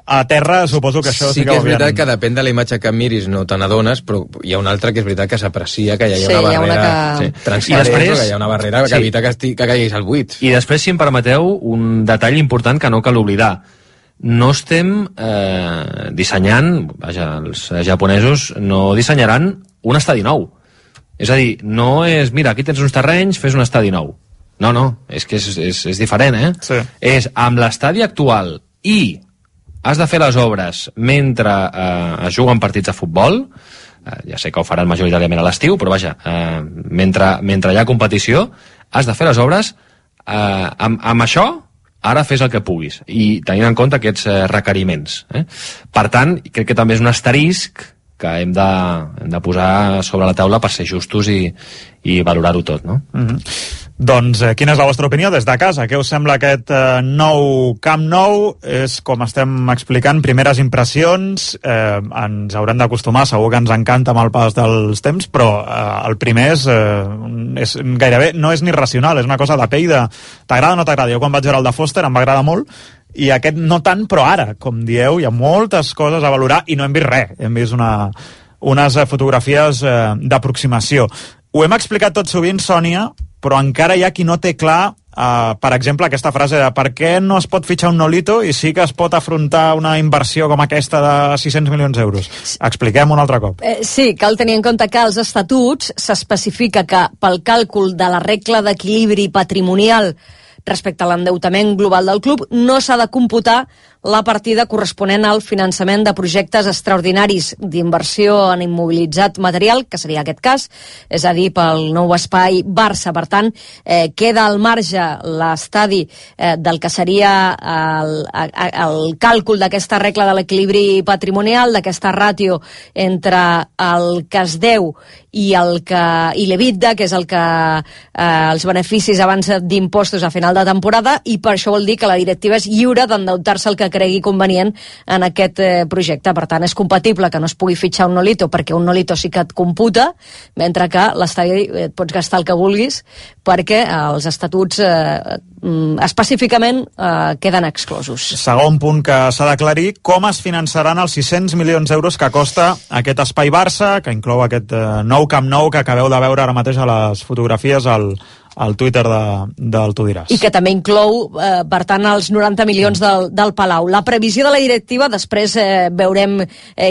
a terra, suposo que això sí que és veritat que depèn de la imatge que miris no te n'adones, però hi ha una altra que és veritat que s'aprecia que hi ha una barrera transparent, que hi ha una barrera que evita que caiguis al buit. I després, si em permeteu, un detall important que no cal oblidar. No estem dissenyant, vaja, els japonesos no dissenyaran un estadi nou. És a dir, no és, mira, aquí tens uns terrenys, fes un estadi nou. No, és que és diferent, Sí. És amb l'estadi actual i has de fer les obres mentre es juguen partits de futbol. Ja sé que ho faran majoritàriament a l'estiu, però vaja, mentre hi ha competició, has de fer les obres amb això, ara fes el que puguis, i tenint en compte aquests requeriments. Per tant, crec que també és un asterisc que hem de posar sobre la taula per ser justos i valorar-ho tot, no? Doncs quina és la vostra opinió des de casa? Què us sembla aquest nou Camp Nou? És, com estem explicant, primeres impressions, ens haurem d'acostumar, segur que ens encanta amb el pas dels temps, però el primer és gairebé, no és ni racional, és una cosa de pell de t'agrada o no t'agrada. Jo quan vaig veure el de Foster em va agradar molt, i aquest no tant, però ara, com dieu, hi ha moltes coses a valorar i no hem vist res, hem vist unes fotografies d'aproximació. Ho hem explicat tot sovint, Sònia, però encara hi ha qui no té clar, per exemple, aquesta frase de per què no es pot fitxar un Nolito i sí que es pot afrontar una inversió com aquesta de 600 milions d'euros. Expliquem un altre cop. Sí, cal tenir en compte que als estatuts s'especifica que pel càlcul de la regla d'equilibri patrimonial respecte a l'endeutament global del club no s'ha de computar la partida corresponent al finançament de projectes extraordinaris d'inversió en immobilitzat material, que seria aquest cas, és a dir, pel nou espai Barça. Per tant, queda al marge l'estadi del que seria el càlcul d'aquesta regla de l'equilibri patrimonial, d'aquesta ràtio entre el que es deu i l'EBITDA, que és el que els beneficis abans d'impostos a final de temporada, i per això vol dir que la directiva és lliure d'endeutar-se el que cregui convenient en aquest projecte. Per tant, és compatible que no es pugui fitxar un Nolito, perquè un Nolito sí que et computa, mentre que l'estadi et pots gastar el que vulguis, perquè els estatuts específicament queden exclosos. Segon punt que s'ha d'aclarir, com es finançaran els 600 milions d'euros que costa aquest espai Barça, que inclou aquest nou Camp Nou que acabeu de veure ara mateix a les fotografies al Twitter del Tu diràs. I que també inclou, per tant, els 90 milions del Palau. La previsió de la directiva, després veurem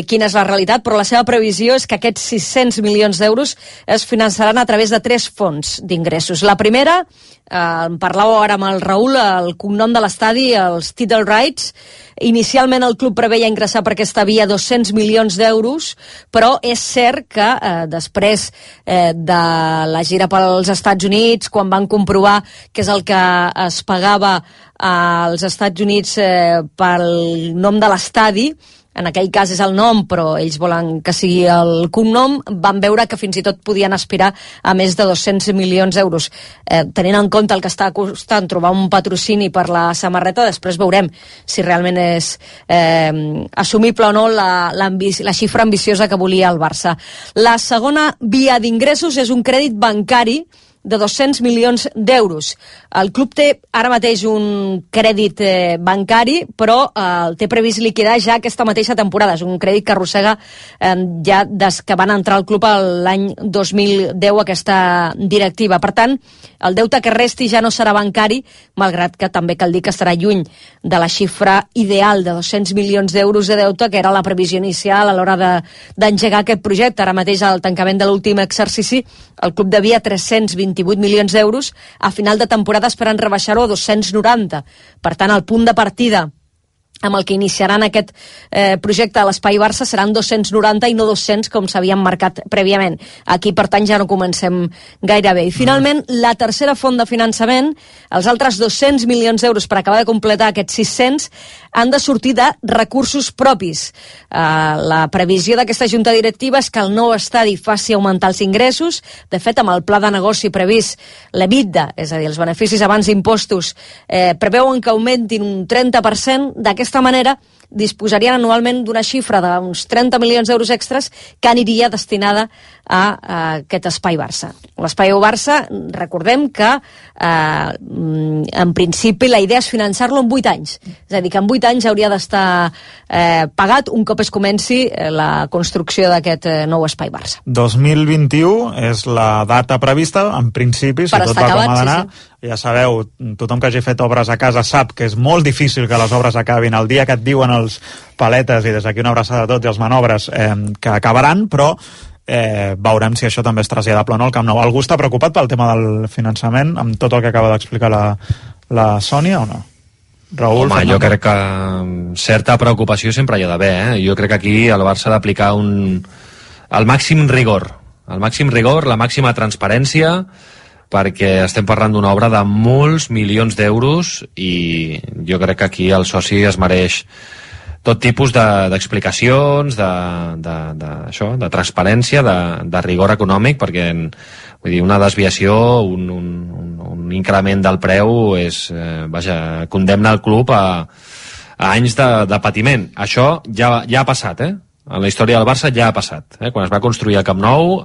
quina és la realitat, però la seva previsió és que aquests 600 milions d'euros es finançaran a través de 3 fonts d'ingressos. La primera, en parlàveu ara amb el Raül, el cognom de l'estadi, els title rights. Inicialment el club preveia ingressar per aquesta via 200 milions d'euros, però és cert que després de la gira pels Estats Units, quan van comprovar que és el que es pagava als Estats Units pel nom de l'estadi, en aquell cas és el nom, però ells volen que sigui el cognom, van veure que fins i tot podien aspirar a més de 200 milions d'euros. Tenint en compte el que està costant trobar un patrocini per la samarreta, després veurem si realment és assumible o no la xifra ambiciosa que volia el Barça. La segona via d'ingressos és un crèdit bancari de 200 milions d'euros. El club té ara mateix un crèdit bancari, però el té previst liquidar ja aquesta mateixa temporada. És un crèdit que arrossega ja des que van entrar al club l'any 2010 aquesta directiva. Per tant, el deute que resti ja no serà bancari, malgrat que també cal dir que estarà lluny de la xifra ideal de 200 milions d'euros de deute, que era la previsió inicial a l'hora d'engegar aquest projecte. Ara mateix, al tancament de l'últim exercici, el club devia 328 milions d'euros, a final de temporada esperant rebaixar-ho a 290. Per tant, el punt de partida amb el que iniciaran aquest projecte a l'Espai Barça seran 290 i no 200 com s'havien marcat prèviament. Aquí, per tant, ja no comencem gaire bé. I finalment, la tercera font de finançament, els altres 200 milions d'euros per acabar de completar aquests 600, han de sortir de recursos propis. La previsió d'aquesta junta directiva és que el nou estadi faci augmentar els ingressos. De fet, amb el pla de negoci previst, l'EBITDA, és a dir, els beneficis abans d'impostos, preveuen que augmentin un 30%. D'aquesta manera, disposarien anualment d'una xifra d'uns 30 milions d'euros extras que aniria destinada a aquest Espai Barça. L'Espai Barça, recordem que en principi la idea és finançar-lo en 8 anys. És a dir, que en 8 anys hauria d'estar pagat un cop es comenci la construcció d'aquest nou Espai Barça. 2021 és la data prevista, en principi, si tot va com ha d'anar. Ja sabeu, tothom que hagi fet obres a casa sap que és molt difícil que les obres acabin el dia que et diuen els paletes, i des d'aquí una abraçada a tots i els manobres, que acabaran, però veurem si això també és traslladable o no al Camp Nou. Algú està preocupat pel tema del finançament, amb tot el que acaba d'explicar la Sònia, o no? Raül, home, jo crec que certa preocupació sempre hi ha d'haver, Jo crec que aquí el Barça ha d'aplicar el màxim rigor, la màxima transparència, perquè estem parlant d'una obra de molts milions d'euros i jo crec que aquí el soci es mereix tot tipus d'explicacions, de transparència, de rigor econòmic, perquè vull dir, una desviació, un increment del preu condemna el club a anys de patiment. Això ja ha passat, En la història del Barça ja ha passat. Quan es va construir el Camp Nou,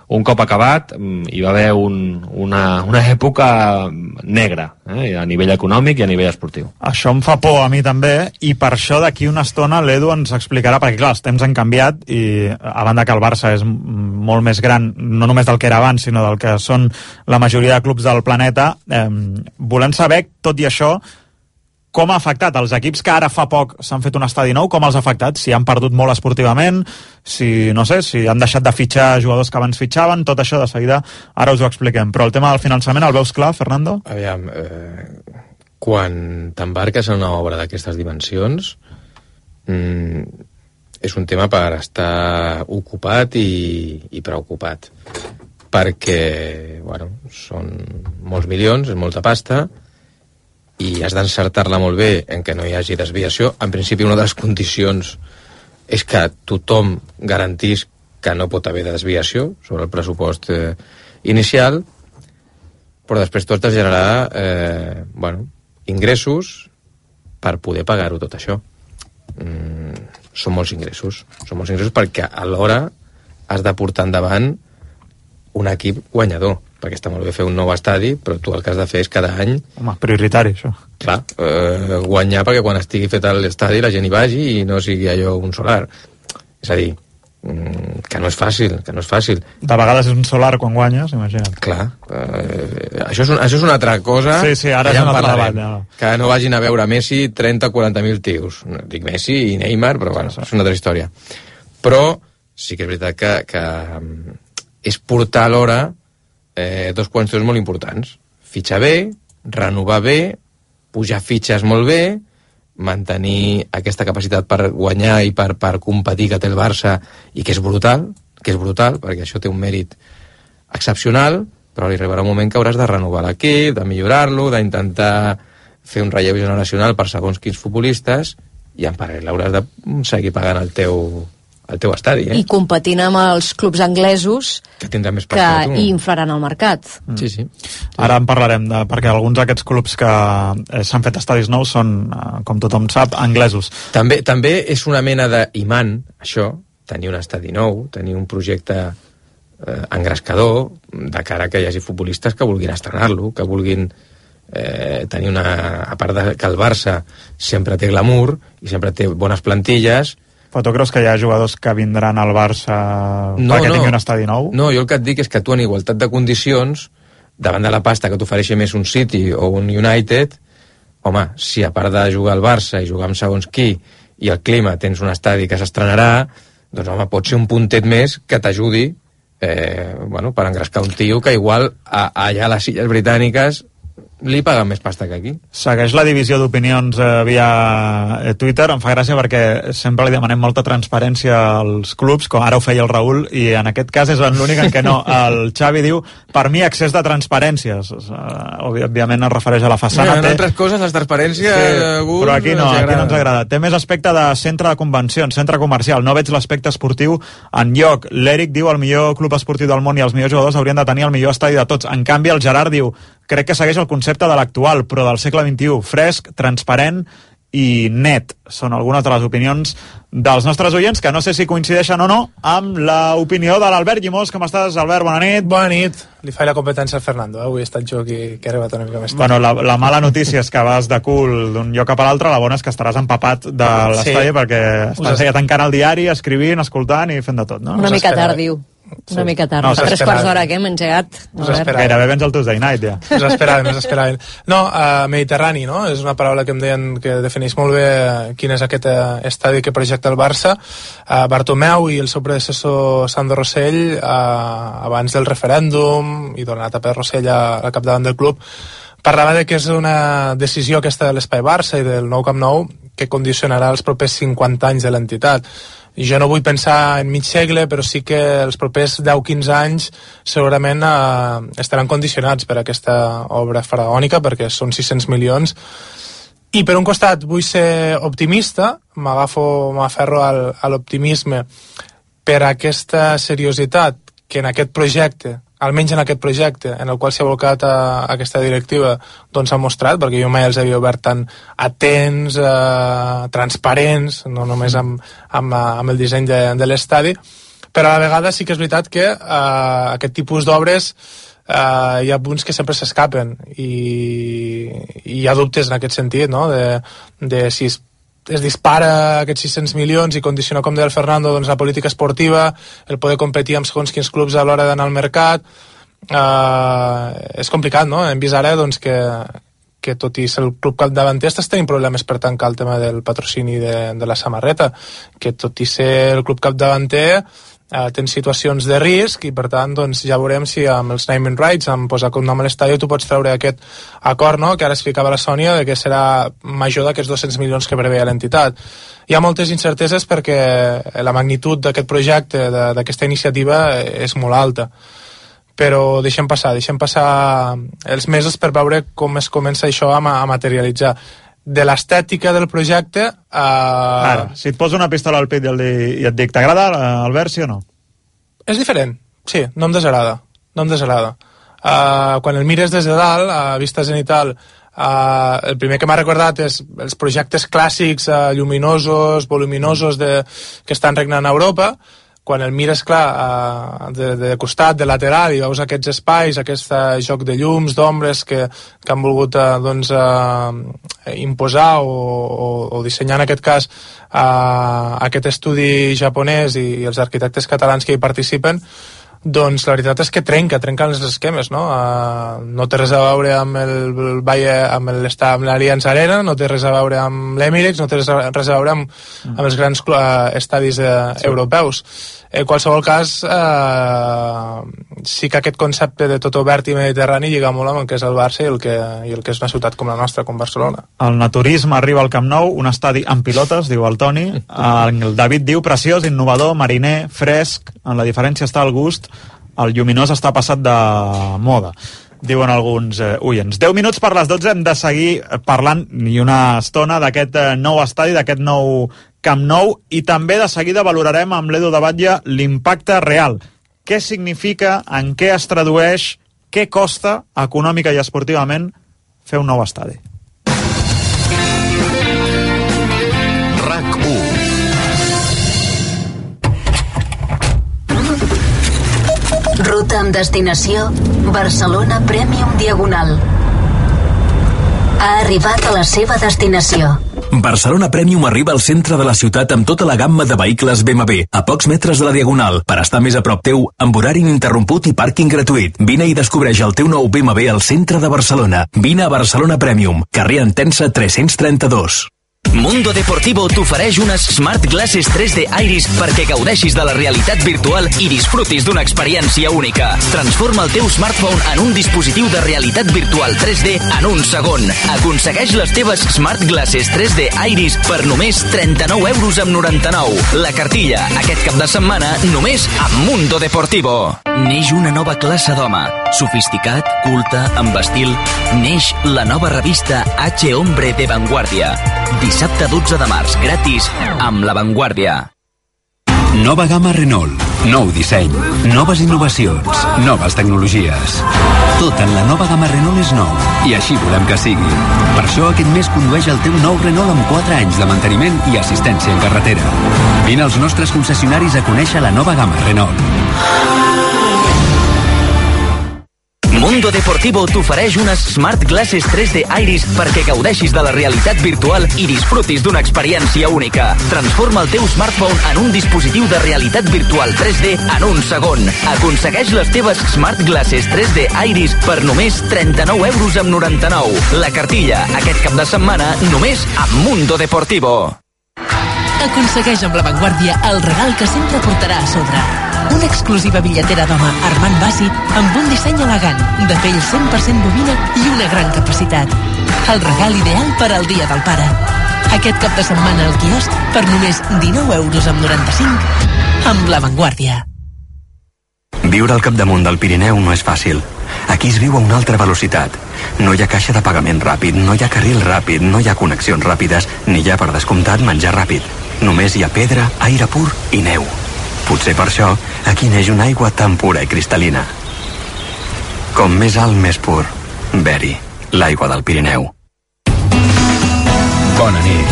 un cop acabat, hi va haver una època negra, a nivell econòmic i a nivell esportiu. Això em fa por a mi també, i per això d'aquí una estona l'Edu ens explicarà, perquè clar, els temps han canviat i a banda que el Barça és molt més gran, no només del que era abans, sinó del que són la majoria de clubs del planeta, volem saber, tot i això, com ha afectat els equips que ara fa poc s'han fet un estadi nou, com els ha afectat? Si han perdut molt esportivament, si han deixat de fitxar jugadors que abans fitxaven, tot això de seguida, ara us ho expliquem. Però el tema del finançament el veus clar, Fernando? Aviam, quan t'embarques en una obra d'aquestes dimensions, és un tema per estar ocupat i preocupat. Perquè, són molts milions, és molta pasta, i has d'encertar-la molt bé en què no hi hagi desviació. En principi, una de les condicions és que tothom garantís que no pot haver desviació sobre el pressupost inicial, però després tu has de generar ingressos per poder pagar-ho tot això. Són molts ingressos perquè alhora has de portar endavant un equip guanyador, perquè està molt bé fer un nou estadi, però tu el que has de fer és cada any... Home, prioritari, això. Clar, guanyar perquè quan estigui fet l'estadi la gent hi vagi i no sigui allò un solar. És a dir, que no és fàcil. De vegades és un solar quan guanyes, imagina't. Clar, això és una altra cosa. Sí, ara ja és un altre debat. Ja. Que no vagin a veure Messi 30 o 40.000 tios. Dic Messi i Neymar, però és una altra història. Però sí que és veritat que és portar alhora dos qüestions molt importants. Fitxar bé, renovar bé, pujar fitxes molt bé, mantenir aquesta capacitat per guanyar i per competir que té el Barça i que és brutal, perquè això té un mèrit excepcional, però li arribarà un moment que hauràs de renovar l'equip, de millorar-lo, d'intentar fer un relleu generacional per segons quins futbolistes, i en paral·lel hauràs de seguir pagant el teu estadi. I competint amb els clubs anglesos que tindran més pasta que hi inflaran el mercat. Sí. Ara en parlarem, perquè alguns d'aquests clubs que s'han fet estadis nous són, com tothom sap, anglesos. També és una mena d'imant, això, tenir un estadi nou, tenir un projecte engrescador, de cara que hi hagi futbolistes que vulguin estrenar-lo, que vulguin tenir a part de que el Barça sempre té glamour i sempre té bones plantilles. Però tu creus que hi ha jugadors que vindran al Barça perquè tingui un estadi nou? No, jo el que et dic és que tu en igualtat de condicions, davant de la pasta que t'ofereixi més un City o un United, home, si a part de jugar al Barça i jugar amb segons qui i el clima tens un estadi que s'estrenarà, doncs home, pot ser un puntet més que t'ajudi per engrescar un tio que igual allà a les Illes Britàniques li paguen més pasta que aquí. Segueix la divisió d'opinions via Twitter. Em fa gràcia perquè sempre li demanem molta transparència als clubs, com ara ho feia el Raül, i en aquest cas és l'únic en què no. El Xavi diu, per mi, excés de transparències. Òbviament es refereix a la façana. En altres coses, les transparències... Sí, però aquí no ens agrada. Té més aspecte de centre de convencions, centre comercial. No veig l'aspecte esportiu enlloc. L'Eric diu, el millor club esportiu del món i els millors jugadors haurien de tenir el millor estadi de tots. En canvi, el Gerard diu, crec que segueix el concepte de l'actual, però del segle XXI, fresc, transparent i net. Són algunes de les opinions dels nostres oients, que no sé si coincideixen o no amb l'opinió de l'Albert Llimós. Com estàs, Albert? Bona nit. Bona nit. Li faig la competència al Fernando, avui he estat jo que he arribat una mica més tard. Bueno, la mala notícia és que vas de cul d'un lloc cap a l'altre, la bona és que estaràs empapat de l'estadi perquè estàs allà tancant el diari, escrivint, escoltant i fent de tot, no? Una mica tard, diu. Una mica tard, a 3 quarts d'hora que hem engegat. Gairebé vens al Tuesday Night, ja. Us esperaven. No, Mediterrani, no? És una paraula que em deien que defineix molt bé quin és aquest estadi que projecta el Barça. Bartomeu i el seu predecessor Sandro Rossell, abans del referèndum i durant l'etapa de Rossell al capdavant del club, parlava de que és una decisió aquesta de l'Espai Barça i del nou Camp Nou que condicionarà els propers 50 anys de l'entitat. Jo no vull pensar en mig segle, però sí que els propers 10-15 anys segurament estaran condicionats per aquesta obra faraònica, perquè són 600 milions. I per un costat vull ser optimista, m'aferro a l'optimisme per aquesta seriositat que en aquest projecte, almenys en aquest projecte en el qual s'ha volcat aquesta directiva, doncs ha mostrat, perquè jo mai els havia obert tan atents, transparents, no només amb el disseny de l'estadi, però a la vegada sí que és veritat que aquest tipus d'obres hi ha punts que sempre s'escapen i hi ha dubtes en aquest sentit, no? de si es dispara aquests 600 milions i condiciona, com deia el Fernando, doncs la política esportiva, el poder competir amb segons quins clubs a l'hora d'anar al mercat. És complicat, no? Hem vist ara doncs, que tot i ser el club capdavanter estàs tenint problemes per tancar el tema del patrocini de la samarreta, que tot i ser el club capdavanter tens situacions de risc i per tant doncs, ja veurem si amb els naming rights, amb posar un nom a l'estadi, tu pots treure aquest acord, no?, que ara explicava la Sònia, de que serà major d'aquests 200 milions que preveia l'entitat. Hi ha moltes incerteses perquè la magnitud d'aquest projecte, d'aquesta iniciativa, és molt alta. Però deixem passar els mesos per veure com es comença això a materialitzar. De l'estètica del projecte... Ara, si et poso una pistola al pit i et dic, t'agrada, Albert, sí o no? És diferent, sí, no em desagrada. Quan el mires des de dalt, a vista zenital, el primer que m'ha recordat és els projectes clàssics lluminosos, voluminosos que estan regnant a Europa. Quan el mires, clar, de costat, de lateral, i veus aquests espais, aquest joc de llums, d'ombres que han volgut imposar o dissenyar, en aquest cas, aquest estudi japonès i els arquitectes catalans que hi participen, doncs la veritat és que trenquen els esquemes, no? No té res a veure amb el Valle, amb l'Allianz Arena, no té res a veure amb l'Emirates, no té res a veure amb els grans estadis europeus. En qualsevol cas, sí que aquest concepte de tot obert i mediterrani lliga molt amb el que és el Barça i el que és una ciutat com la nostra, com Barcelona. El naturisme arriba al Camp Nou, un estadi amb pilotes, diu el Toni. El David diu preciós, innovador, mariner, fresc, en la diferència està el gust, el lluminós està passat de moda. diuen alguns oients. 10 minuts per les 12, hem de seguir parlant i una estona d'aquest nou estadi, d'aquest nou Camp Nou, i també de seguida valorarem amb l'Edu de Batlle l'impacte real. Què significa, en què es tradueix, què costa econòmica i esportivament fer un nou estadi. RAC1. Ruta amb destinació Barcelona Premium Diagonal. Ha arribat a la seva destinació. Barcelona Premium arriba al centre de la ciutat amb tota la gamma de vehicles BMW, a pocs metres de la Diagonal, per estar més a prop teu, amb horari ininterromput i pàrquing gratuït. Vine i descobreix el teu nou BMW al centre de Barcelona. Vine a Barcelona Premium, carrer Entença 332. Mundo Deportivo t'ofereix unes Smart Glasses 3D Iris perquè gaudeixis de la realitat virtual i disfrutis d'una experiència única. Transforma el teu smartphone en un dispositiu de realitat virtual 3D en un segon. Aconsegueix les teves Smart Glasses 3D Iris per només 39,99 €. La cartilla, aquest cap de setmana, només a Mundo Deportivo. Neix una nova classe d'home. Sofisticat, culte, amb estil. Neix la nova revista H. Hombre de Vanguardia. Dissabte 12 de març, gratis, amb La Vanguardia. Nova gamma Renault. Nou disseny, noves innovacions, noves tecnologies. Tot en la nova gamma Renault és nou, i així volem que sigui. Per això aquest mes condueix el teu nou Renault amb 4 anys de manteniment i assistència en carretera. Vine als nostres concessionaris a conèixer la nova gamma Renault. Mundo Deportivo t'ofereix unes Smart Glasses 3D Iris perquè gaudeixis de la realitat virtual i disfrutis d'una experiència única. Transforma el teu smartphone en un dispositiu de realitat virtual 3D en un segon. Aconsegueix les teves Smart Glasses 3D Iris per només 39,99 €. La cartilla, aquest cap de setmana, només a Mundo Deportivo. Aconsegueix amb La Vanguardia el regal que sempre portarà a sobre. Una exclusiva bitlletera d'home Armand Basi amb un disseny elegant, de pell 100% bovina i una gran capacitat. El regal ideal per al Dia del Pare. Aquest cap de setmana al quiosc per només 19,95 € amb La Vanguardia. Viure al capdamunt del Pirineu no és fàcil. Aquí es viu a una altra velocitat. No hi ha caixa de pagament ràpid, no hi ha carril ràpid, no hi ha connexions ràpides, ni hi ha, per descomptat, menjar ràpid. Només hi ha pedra, aire pur i neu. Potser per això aquí neix una aigua tan pura i cristal·lina. Com més alt, més pur. Beri, l'aigua del Pirineu. Bona nit.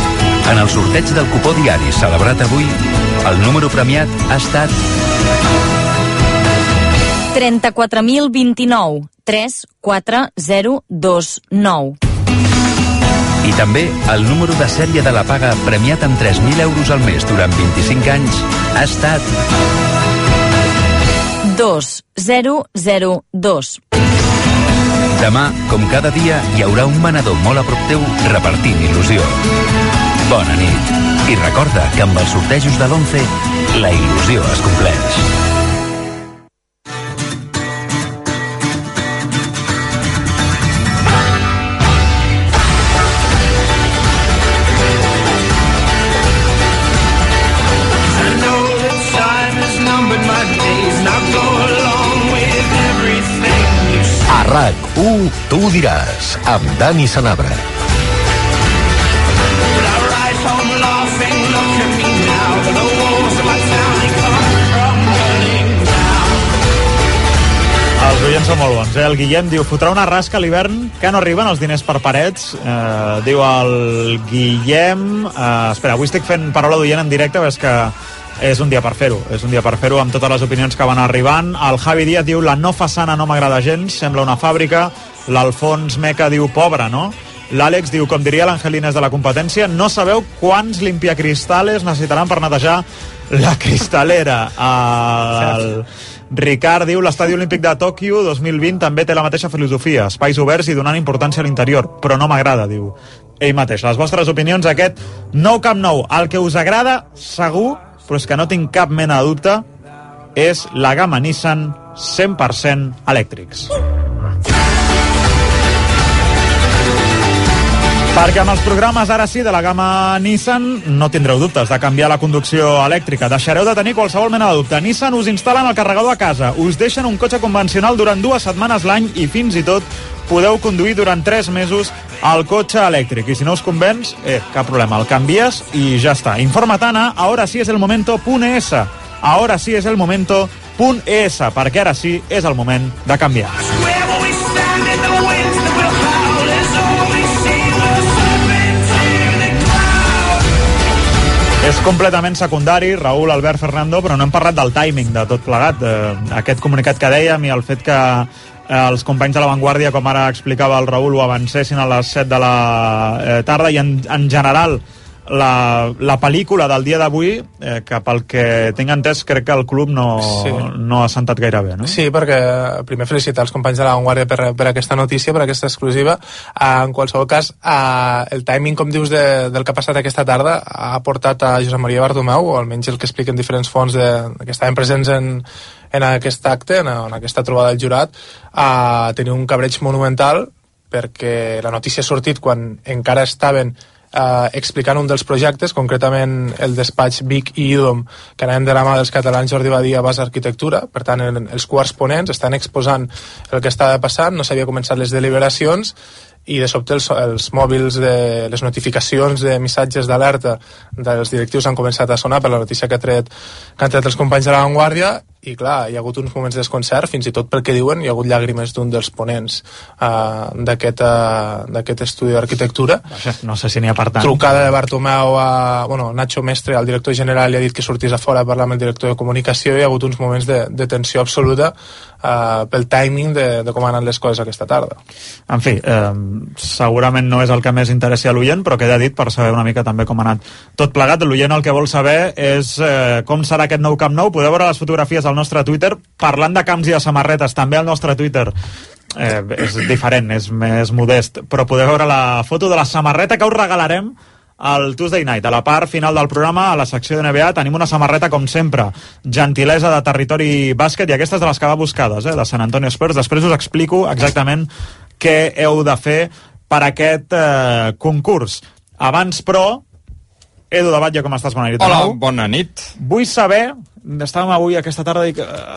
En el sorteig del cupó diari celebrat avui, el número premiat ha estat 34.029 34029. I també el número de sèrie de la paga premiat amb 3.000 € al mes durant 25 anys ha estat 2002. Demà, com cada dia, hi haurà un venedor molt a prop teu repartint il·lusió. Bona nit. I recorda que amb els sortejos de l'11 la il·lusió es compleix. A RAC1, tu ho diràs, amb Dani Sanabra. Els oients són molt bons, El Guillem diu, fotrà una rasca a l'hivern que no arriben els diners per parets. Diu el Guillem... espera, avui estic fent paraula d'oient en directe, però és que és un dia per fer-ho, amb totes les opinions que van arribant. El Javi Díaz diu, la no façana no m'agrada gens, sembla una fàbrica. L'Alfons Meca diu, pobre, no? L'Àlex diu, com diria l'Angelines de la competència, no sabeu quants limpiacristales necessitaran per netejar la cristalera. El Ricard diu, l'Estadi Olímpic de Tòquio 2020 també té la mateixa filosofia, espais oberts i donant importància a l'interior, però no m'agrada, diu ell mateix. Les vostres opinions, aquest nou Camp Nou, el que us agrada segur, però és que no tinc cap mena de dubte, és la gamma Nissan 100% elèctrics. Perquè amb els programes ara sí de la gamma Nissan no tindreu dubtes de canviar la conducció elèctrica. Deixareu de tenir qualsevol mena de dubte. Nissan us instal·len el carregador a casa, us deixen un cotxe convencional durant 2 setmanes l'any i fins i tot podeu conduir durant 3 mesos el cotxe elèctric. I si no us convenç, cap problema, el canvies i ja està. Informa-te'n a ahorasiesdelmomento.es. Ahora sí es el momento.es, perquè ara sí és el moment de canviar. És completament secundari, Raúl, Albert, Fernando, però no hem parlat del timing de tot plegat. Aquest comunicat que dèiem i el fet que els companys de La Vanguardia, com ara explicava el Raúl, ho avancessin a les 7 de la tarda i en general la pel·lícula del dia d'avui, que pel que tinc entès crec que el club no ha sentat gaire bé, no? Sí, perquè primer felicitar els companys de La Vanguardia per aquesta notícia, per aquesta exclusiva. En qualsevol cas, el timing, com dius, del que ha passat aquesta tarda ha portat a Josep Maria Bartomeu, o almenys el que expliquen diferents fonts que estaven presents en aquest acte, en aquesta trobada del jurat, a tenir un cabreig monumental, perquè la notícia ha sortit quan encara estaven explicant un dels projectes, concretament el despatx Vic i Idom, que anaven de la mà dels catalans Jordi Badia, Bas Arquitectura. Per tant, els quarts ponents estan exposant el que estava passant, no s'havia començat les deliberacions i de sobte els mòbils de les notificacions de missatges d'alerta dels directius han començat a sonar per la notícia que han tret els companys de La Vanguardia. I clar, hi ha hagut uns moments de desconcert, fins i tot pel que diuen hi ha hagut llàgrimes d'un dels ponents d'aquest estudi d'arquitectura. No sé si n'hi ha per tant. Trucada de Bartomeu a Nacho Mestre, el director general, li ha dit que sortís a fora a parlar amb el director de comunicació. Hi ha hagut uns moments de tensió absoluta pel timing de com han anat les coses aquesta tarda. En fi, segurament no és el que més interessi a l'oient, però queda dit per saber una mica també com ha anat tot plegat. L'oient el que vol saber és com serà aquest nou Camp Nou. Podeu veure les fotografies al nostre Twitter. Parlant de camps i de samarretes, també al nostre Twitter és diferent, és més modest, però podeu veure la foto de la samarreta que us regalarem al Tuesday Night. A la part final del programa, a la secció de NBA, tenim una samarreta, com sempre, gentilesa de Territori Bàsquet, i aquesta és de les que va buscades, de San Antonio Spurs. Després us explico exactament què heu de fer per aquest concurs. Abans, però, Edu de Batlle, com estàs? Bona nit. Hola, bona nit. Vull saber, estàvem avui aquesta tarda i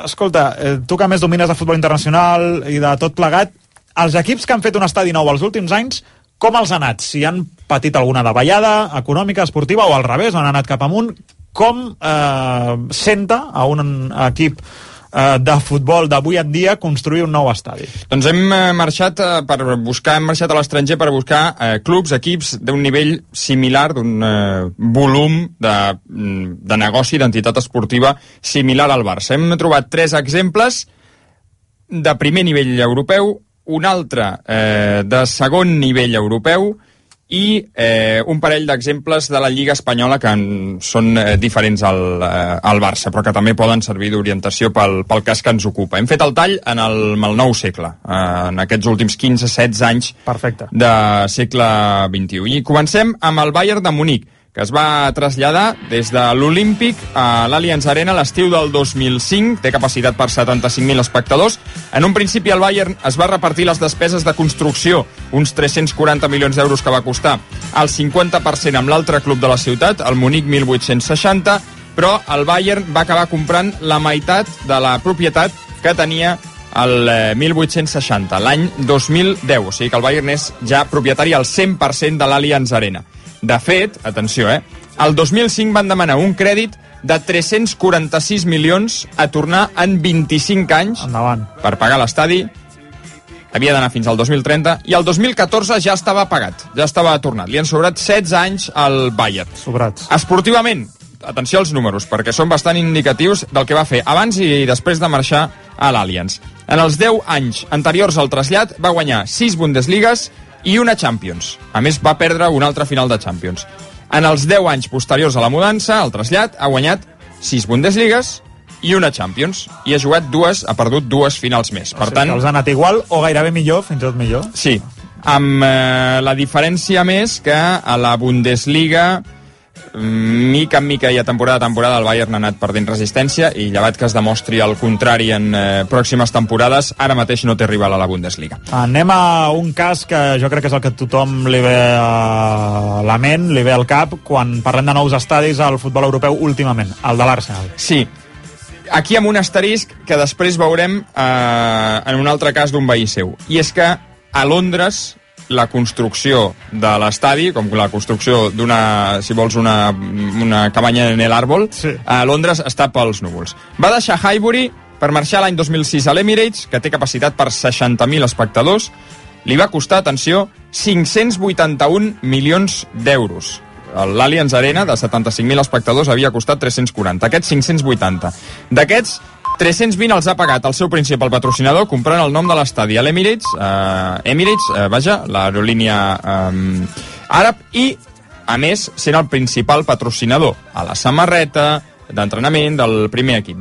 escolta, tu que més domines de futbol internacional i de tot plegat, els equips que han fet un estadi nou els últims anys, com els ha anat? Si han patit alguna davallada econòmica, esportiva, o al revés, on han anat cap amunt, com senta a un equip de futbol d'avui en dia construir un nou estadi? Doncs hem marxat a l'estranger per buscar clubs, equips d'un nivell similar, d'un volum de negoci, d'entitat esportiva similar al Barça. Hem trobat 3 exemples de primer nivell europeu, un altre de segon nivell europeu i un parell d'exemples de la Lliga Espanyola que són diferents al Barça, però que també poden servir d'orientació pel cas que ens ocupa. Hem fet el tall en el nou segle, en aquests últims 15-16 anys de segle XXI. I comencem amb el Bayern de Munic, que es va traslladar des de l'Olímpic a l'Allianz Arena l'estiu del 2005, té capacitat per 75.000 espectadors. En un principi el Bayern es va repartir les despeses de construcció, uns 340 milions d'euros que va costar, el 50% amb l'altre club de la ciutat, el Munic 1860, però el Bayern va acabar comprant la meitat de la propietat que tenia el 1860, l'any 2010, o sigui que el Bayern és ja propietari al 100% de l'Allianz Arena. De fet, atenció, el 2005 van demanar un crèdit de 346 milions a tornar en 25 anys. Endavant. Per pagar l'estadi. Havia d'anar fins al 2030 i el 2014 ja estava pagat, ja estava tornat. Li han sobrat 16 anys al Bayern. Sobrats. Esportivament, atenció als números, perquè són bastant indicatius del que va fer abans i després de marxar a l'Allianz. En els 10 anys anteriors al trasllat va guanyar 6 Bundesligues i una Champions. A més, va perdre una altra final de Champions. En els 10 anys posteriors a la mudança, al trasllat, ha guanyat 6 Bundesligues i una Champions. I ha perdut 2 finals més. Per tant, els ha anat igual o gairebé millor, fins i tot millor. Sí, amb la diferència més que a la Bundesliga mica en mica i a temporada el Bayern ha anat perdent resistència i llevat que es demostri el contrari en pròximes temporades, ara mateix no té rival a la Bundesliga. Anem a un cas que jo crec que és el que a tothom li ve a la ment, li ve al cap quan parlem de nous estadis al futbol europeu últimament, el de l'Arsenal. Sí, aquí amb un asterisc que després veurem en un altre cas d'un veí seu, i és que a Londres la construcció de l'estadi, com la construcció d'una, si vols, una cabanya en l'àrbol, sí, a Londres està pels núvols. Va deixar Highbury per marxar l'any 2006 a l'Emirates, que té capacitat per 60.000 espectadors. Li va costar, atenció, 581 milions d'euros. L'Allianz Arena, de 75.000 espectadors, havia costat 340. Aquests 580. D'aquests, 320 els ha pagat el seu principal patrocinador comprant el nom de l'estadi a l'Emirates, l'aerolínia àrab, i, a més, sent el principal patrocinador a la samarreta d'entrenament del primer equip.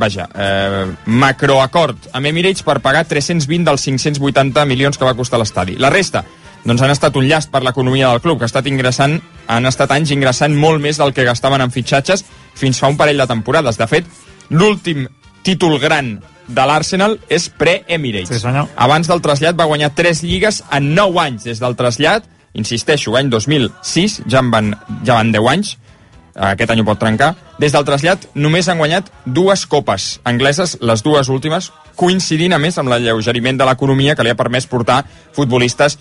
Macroacord amb Emirates per pagar 320 dels 580 milions que va costar l'estadi. La resta, doncs, han estat un llast per l'economia del club, que han estat anys ingressant molt més del que gastaven en fitxatges fins fa un parell de temporades. De fet, l'últim títol gran de l'Arsenal és pre-Emirates. Sí, abans del trasllat va guanyar 3 lligues en 9 anys des del trasllat. Insisteixo, any 2006, ja van 10 anys, aquest any ho pot trencar. Des del trasllat només han guanyat 2 copes angleses, les 2 últimes, coincidint a més amb l'alleugeriment de l'economia que li ha permès portar futbolistes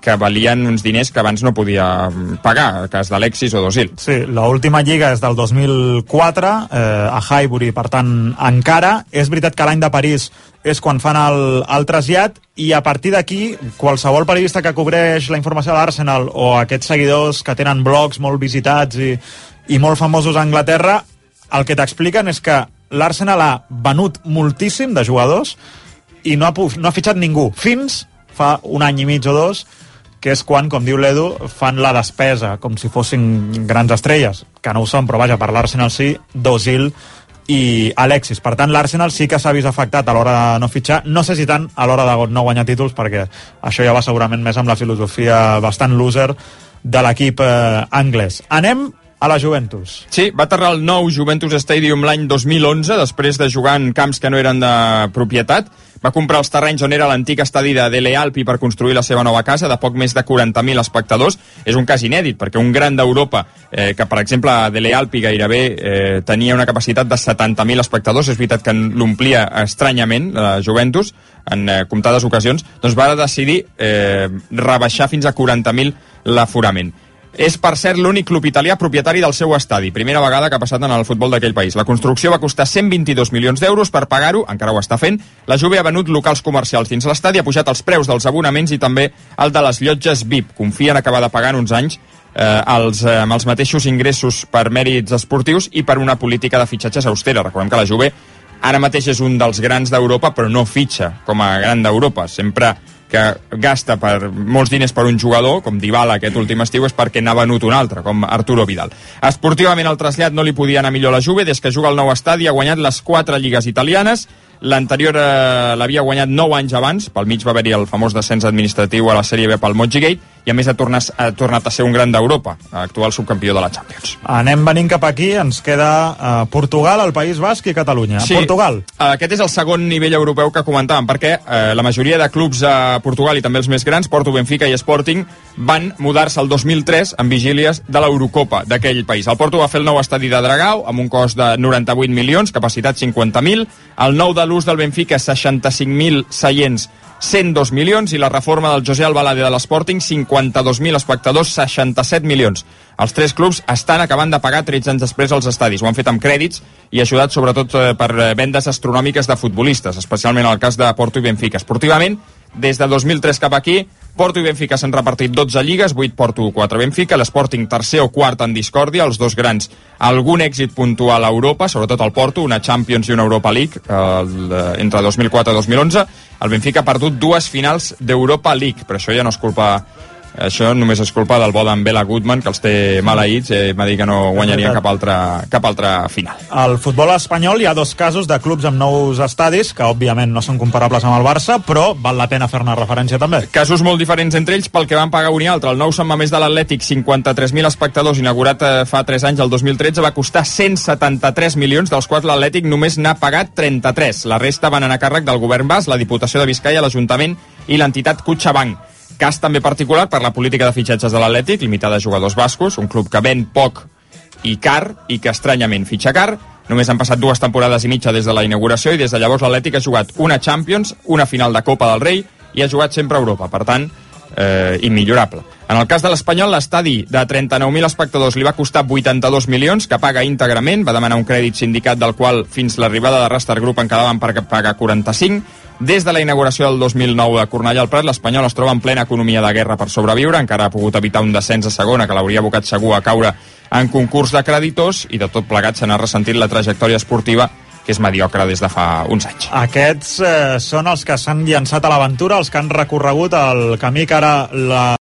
que valien uns diners que abans no podia pagar, el cas d'Alexis o d'Ozil. Sí, l'última lliga és del 2004, a Highbury, per tant, encara. És veritat que l'any de París és quan fan el trasllat, i a partir d'aquí, qualsevol periodista que cobreix la informació de l'Arsenal o aquests seguidors que tenen blogs molt visitats i molt famosos a Anglaterra, el que t'expliquen és que l'Arsenal ha venut moltíssim de jugadors i no ha fitxat ningú, fins fa un any i mig o 2, que és quan, com diu l'Edu, fan la despesa com si fossin grans estrelles, que no ho són, però vaja, per l'Arsenal sí, d'Ozil i Alexis. Per tant, l'Arsenal sí que s'ha vist afectat a l'hora de no fitxar, no sé si tant a l'hora de no guanyar títols, perquè això ja va segurament més amb la filosofia bastant loser de l'equip anglès. Anem a la Juventus. Sí, va aterrar el nou Juventus Stadium l'any 2011, després de jugar en camps que no eren de propietat. Va comprar els terrenys on era l'antic estadi de Dele Alpi per construir la seva nova casa, de poc més de 40.000 espectadors. És un cas inèdit, perquè un gran d'Europa, que per exemple a Dele Alpi gairebé tenia una capacitat de 70.000 espectadors, és veritat que l'omplia estranyament, la Juventus, en comptades ocasions, doncs va decidir rebaixar fins a 40.000 l'aforament. És, per cert, l'únic club italià propietari del seu estadi. Primera vegada que ha passat en el futbol d'aquell país. La construcció va costar 122 milions d'euros. Per pagar-ho, encara ho està fent, la Juve ha venut locals comercials dins l'estadi, ha pujat els preus dels abonaments i també el de les llotges VIP. Confien acabar de pagar en uns anys amb els mateixos ingressos per mèrits esportius i per una política de fitxatges austera. Recordem que la Juve ara mateix és un dels grans d'Europa, però no fitxa com a gran d'Europa. Sempre que gasta molts diners per un jugador, com Dybala aquest últim estiu, és perquè n'ha venut un altre, com Arturo Vidal. Esportivament el trasllat no li podia anar millor a la Juve. Des que juga al nou estadi ha guanyat les 4 lligues italianes. L'anterior l'havia guanyat 9 anys abans, pel mig va haver-hi el famós descens administratiu a la Sèrie B pel Mozzigate, i a més ha tornat a ser un gran d'Europa, actual subcampió de la Champions. Anem venint cap aquí, ens queda Portugal, el País Basc i Catalunya. Sí, Portugal. Aquest és el segon nivell europeu que comentàvem, perquè la majoria de clubs a Portugal i també els més grans, Porto, Benfica i Sporting, van mudar-se el 2003 en vigílies de l'Eurocopa d'aquell país. El Porto va fer el nou estadi de Dragao amb un cost de 98 milions, capacitat 50.000, el nou de l'ús del Benfica 65.000 seients, 102 milions, i la reforma del José Albalade de l'Sporting 52.000 espectadors, 67 milions. Els 3 clubs estan acabant de pagar 13 anys després als estadis. Ho han fet amb crèdits i ajudat sobretot per vendes astronòmiques de futbolistes, especialment en el cas de Porto i Benfica. Esportivament, des de 2003 cap aquí, Porto i Benfica s'han repartit 12 lligues, 8 Porto, 4 Benfica, l'Sporting tercer o quart en discòrdia, els dos grans algun èxit puntual a Europa, sobretot el Porto, una Champions i una Europa League entre 2004 i 2011. El Benfica ha perdut 2 finals d'Europa League, però això ja no és culpa això només és culpa del bo d'en Bela Goodman, que els té maleïts, m'ha dit que no guanyarien cap altre final. Al futbol espanyol hi ha 2 casos de clubs amb nous estadis, que òbviament no són comparables amb el Barça, però val la pena fer-ne referència també. Casos molt diferents entre ells pel que van pagar un i altre. El nou Sant Mamés de l'Atlètic, 53.000 espectadors, inaugurat fa 3 anys, el 2013, va costar 173 milions, dels quals l'Atlètic només n'ha pagat 33. La resta van anar a càrrec del govern basc, la Diputació de Biscaia, l'Ajuntament i l'entitat CaixaBank. Cas també particular per la política de fitxatges de l'Atlètic, limitada a jugadors bascos, un club que ven poc i car, i que estranyament fitxa car. Només han passat 2 temporades i mitja des de la inauguració, i des de llavors l'Atlètic ha jugat una Champions, una final de Copa del Rei, i ha jugat sempre a Europa, per tant, immillorable. En el cas de l'Espanyol, l'estadi de 39.000 espectadors li va costar 82 milions, que paga íntegrament, va demanar un crèdit sindicat del qual fins l'arribada de Rastar Group en quedaven per pagar 45. Des de la inauguració del 2009 de Cornellà al Prat, l'Espanyol es troba en plena economia de guerra per sobreviure, encara ha pogut evitar un descens a segona que l'hauria abocat segur a caure en concurs de creditors, i de tot plegat se n'ha ressentit la trajectòria esportiva, que és mediocre des de fa uns anys. Aquests són els que s'han llançat a l'aventura, els que han recorregut el camí que ara la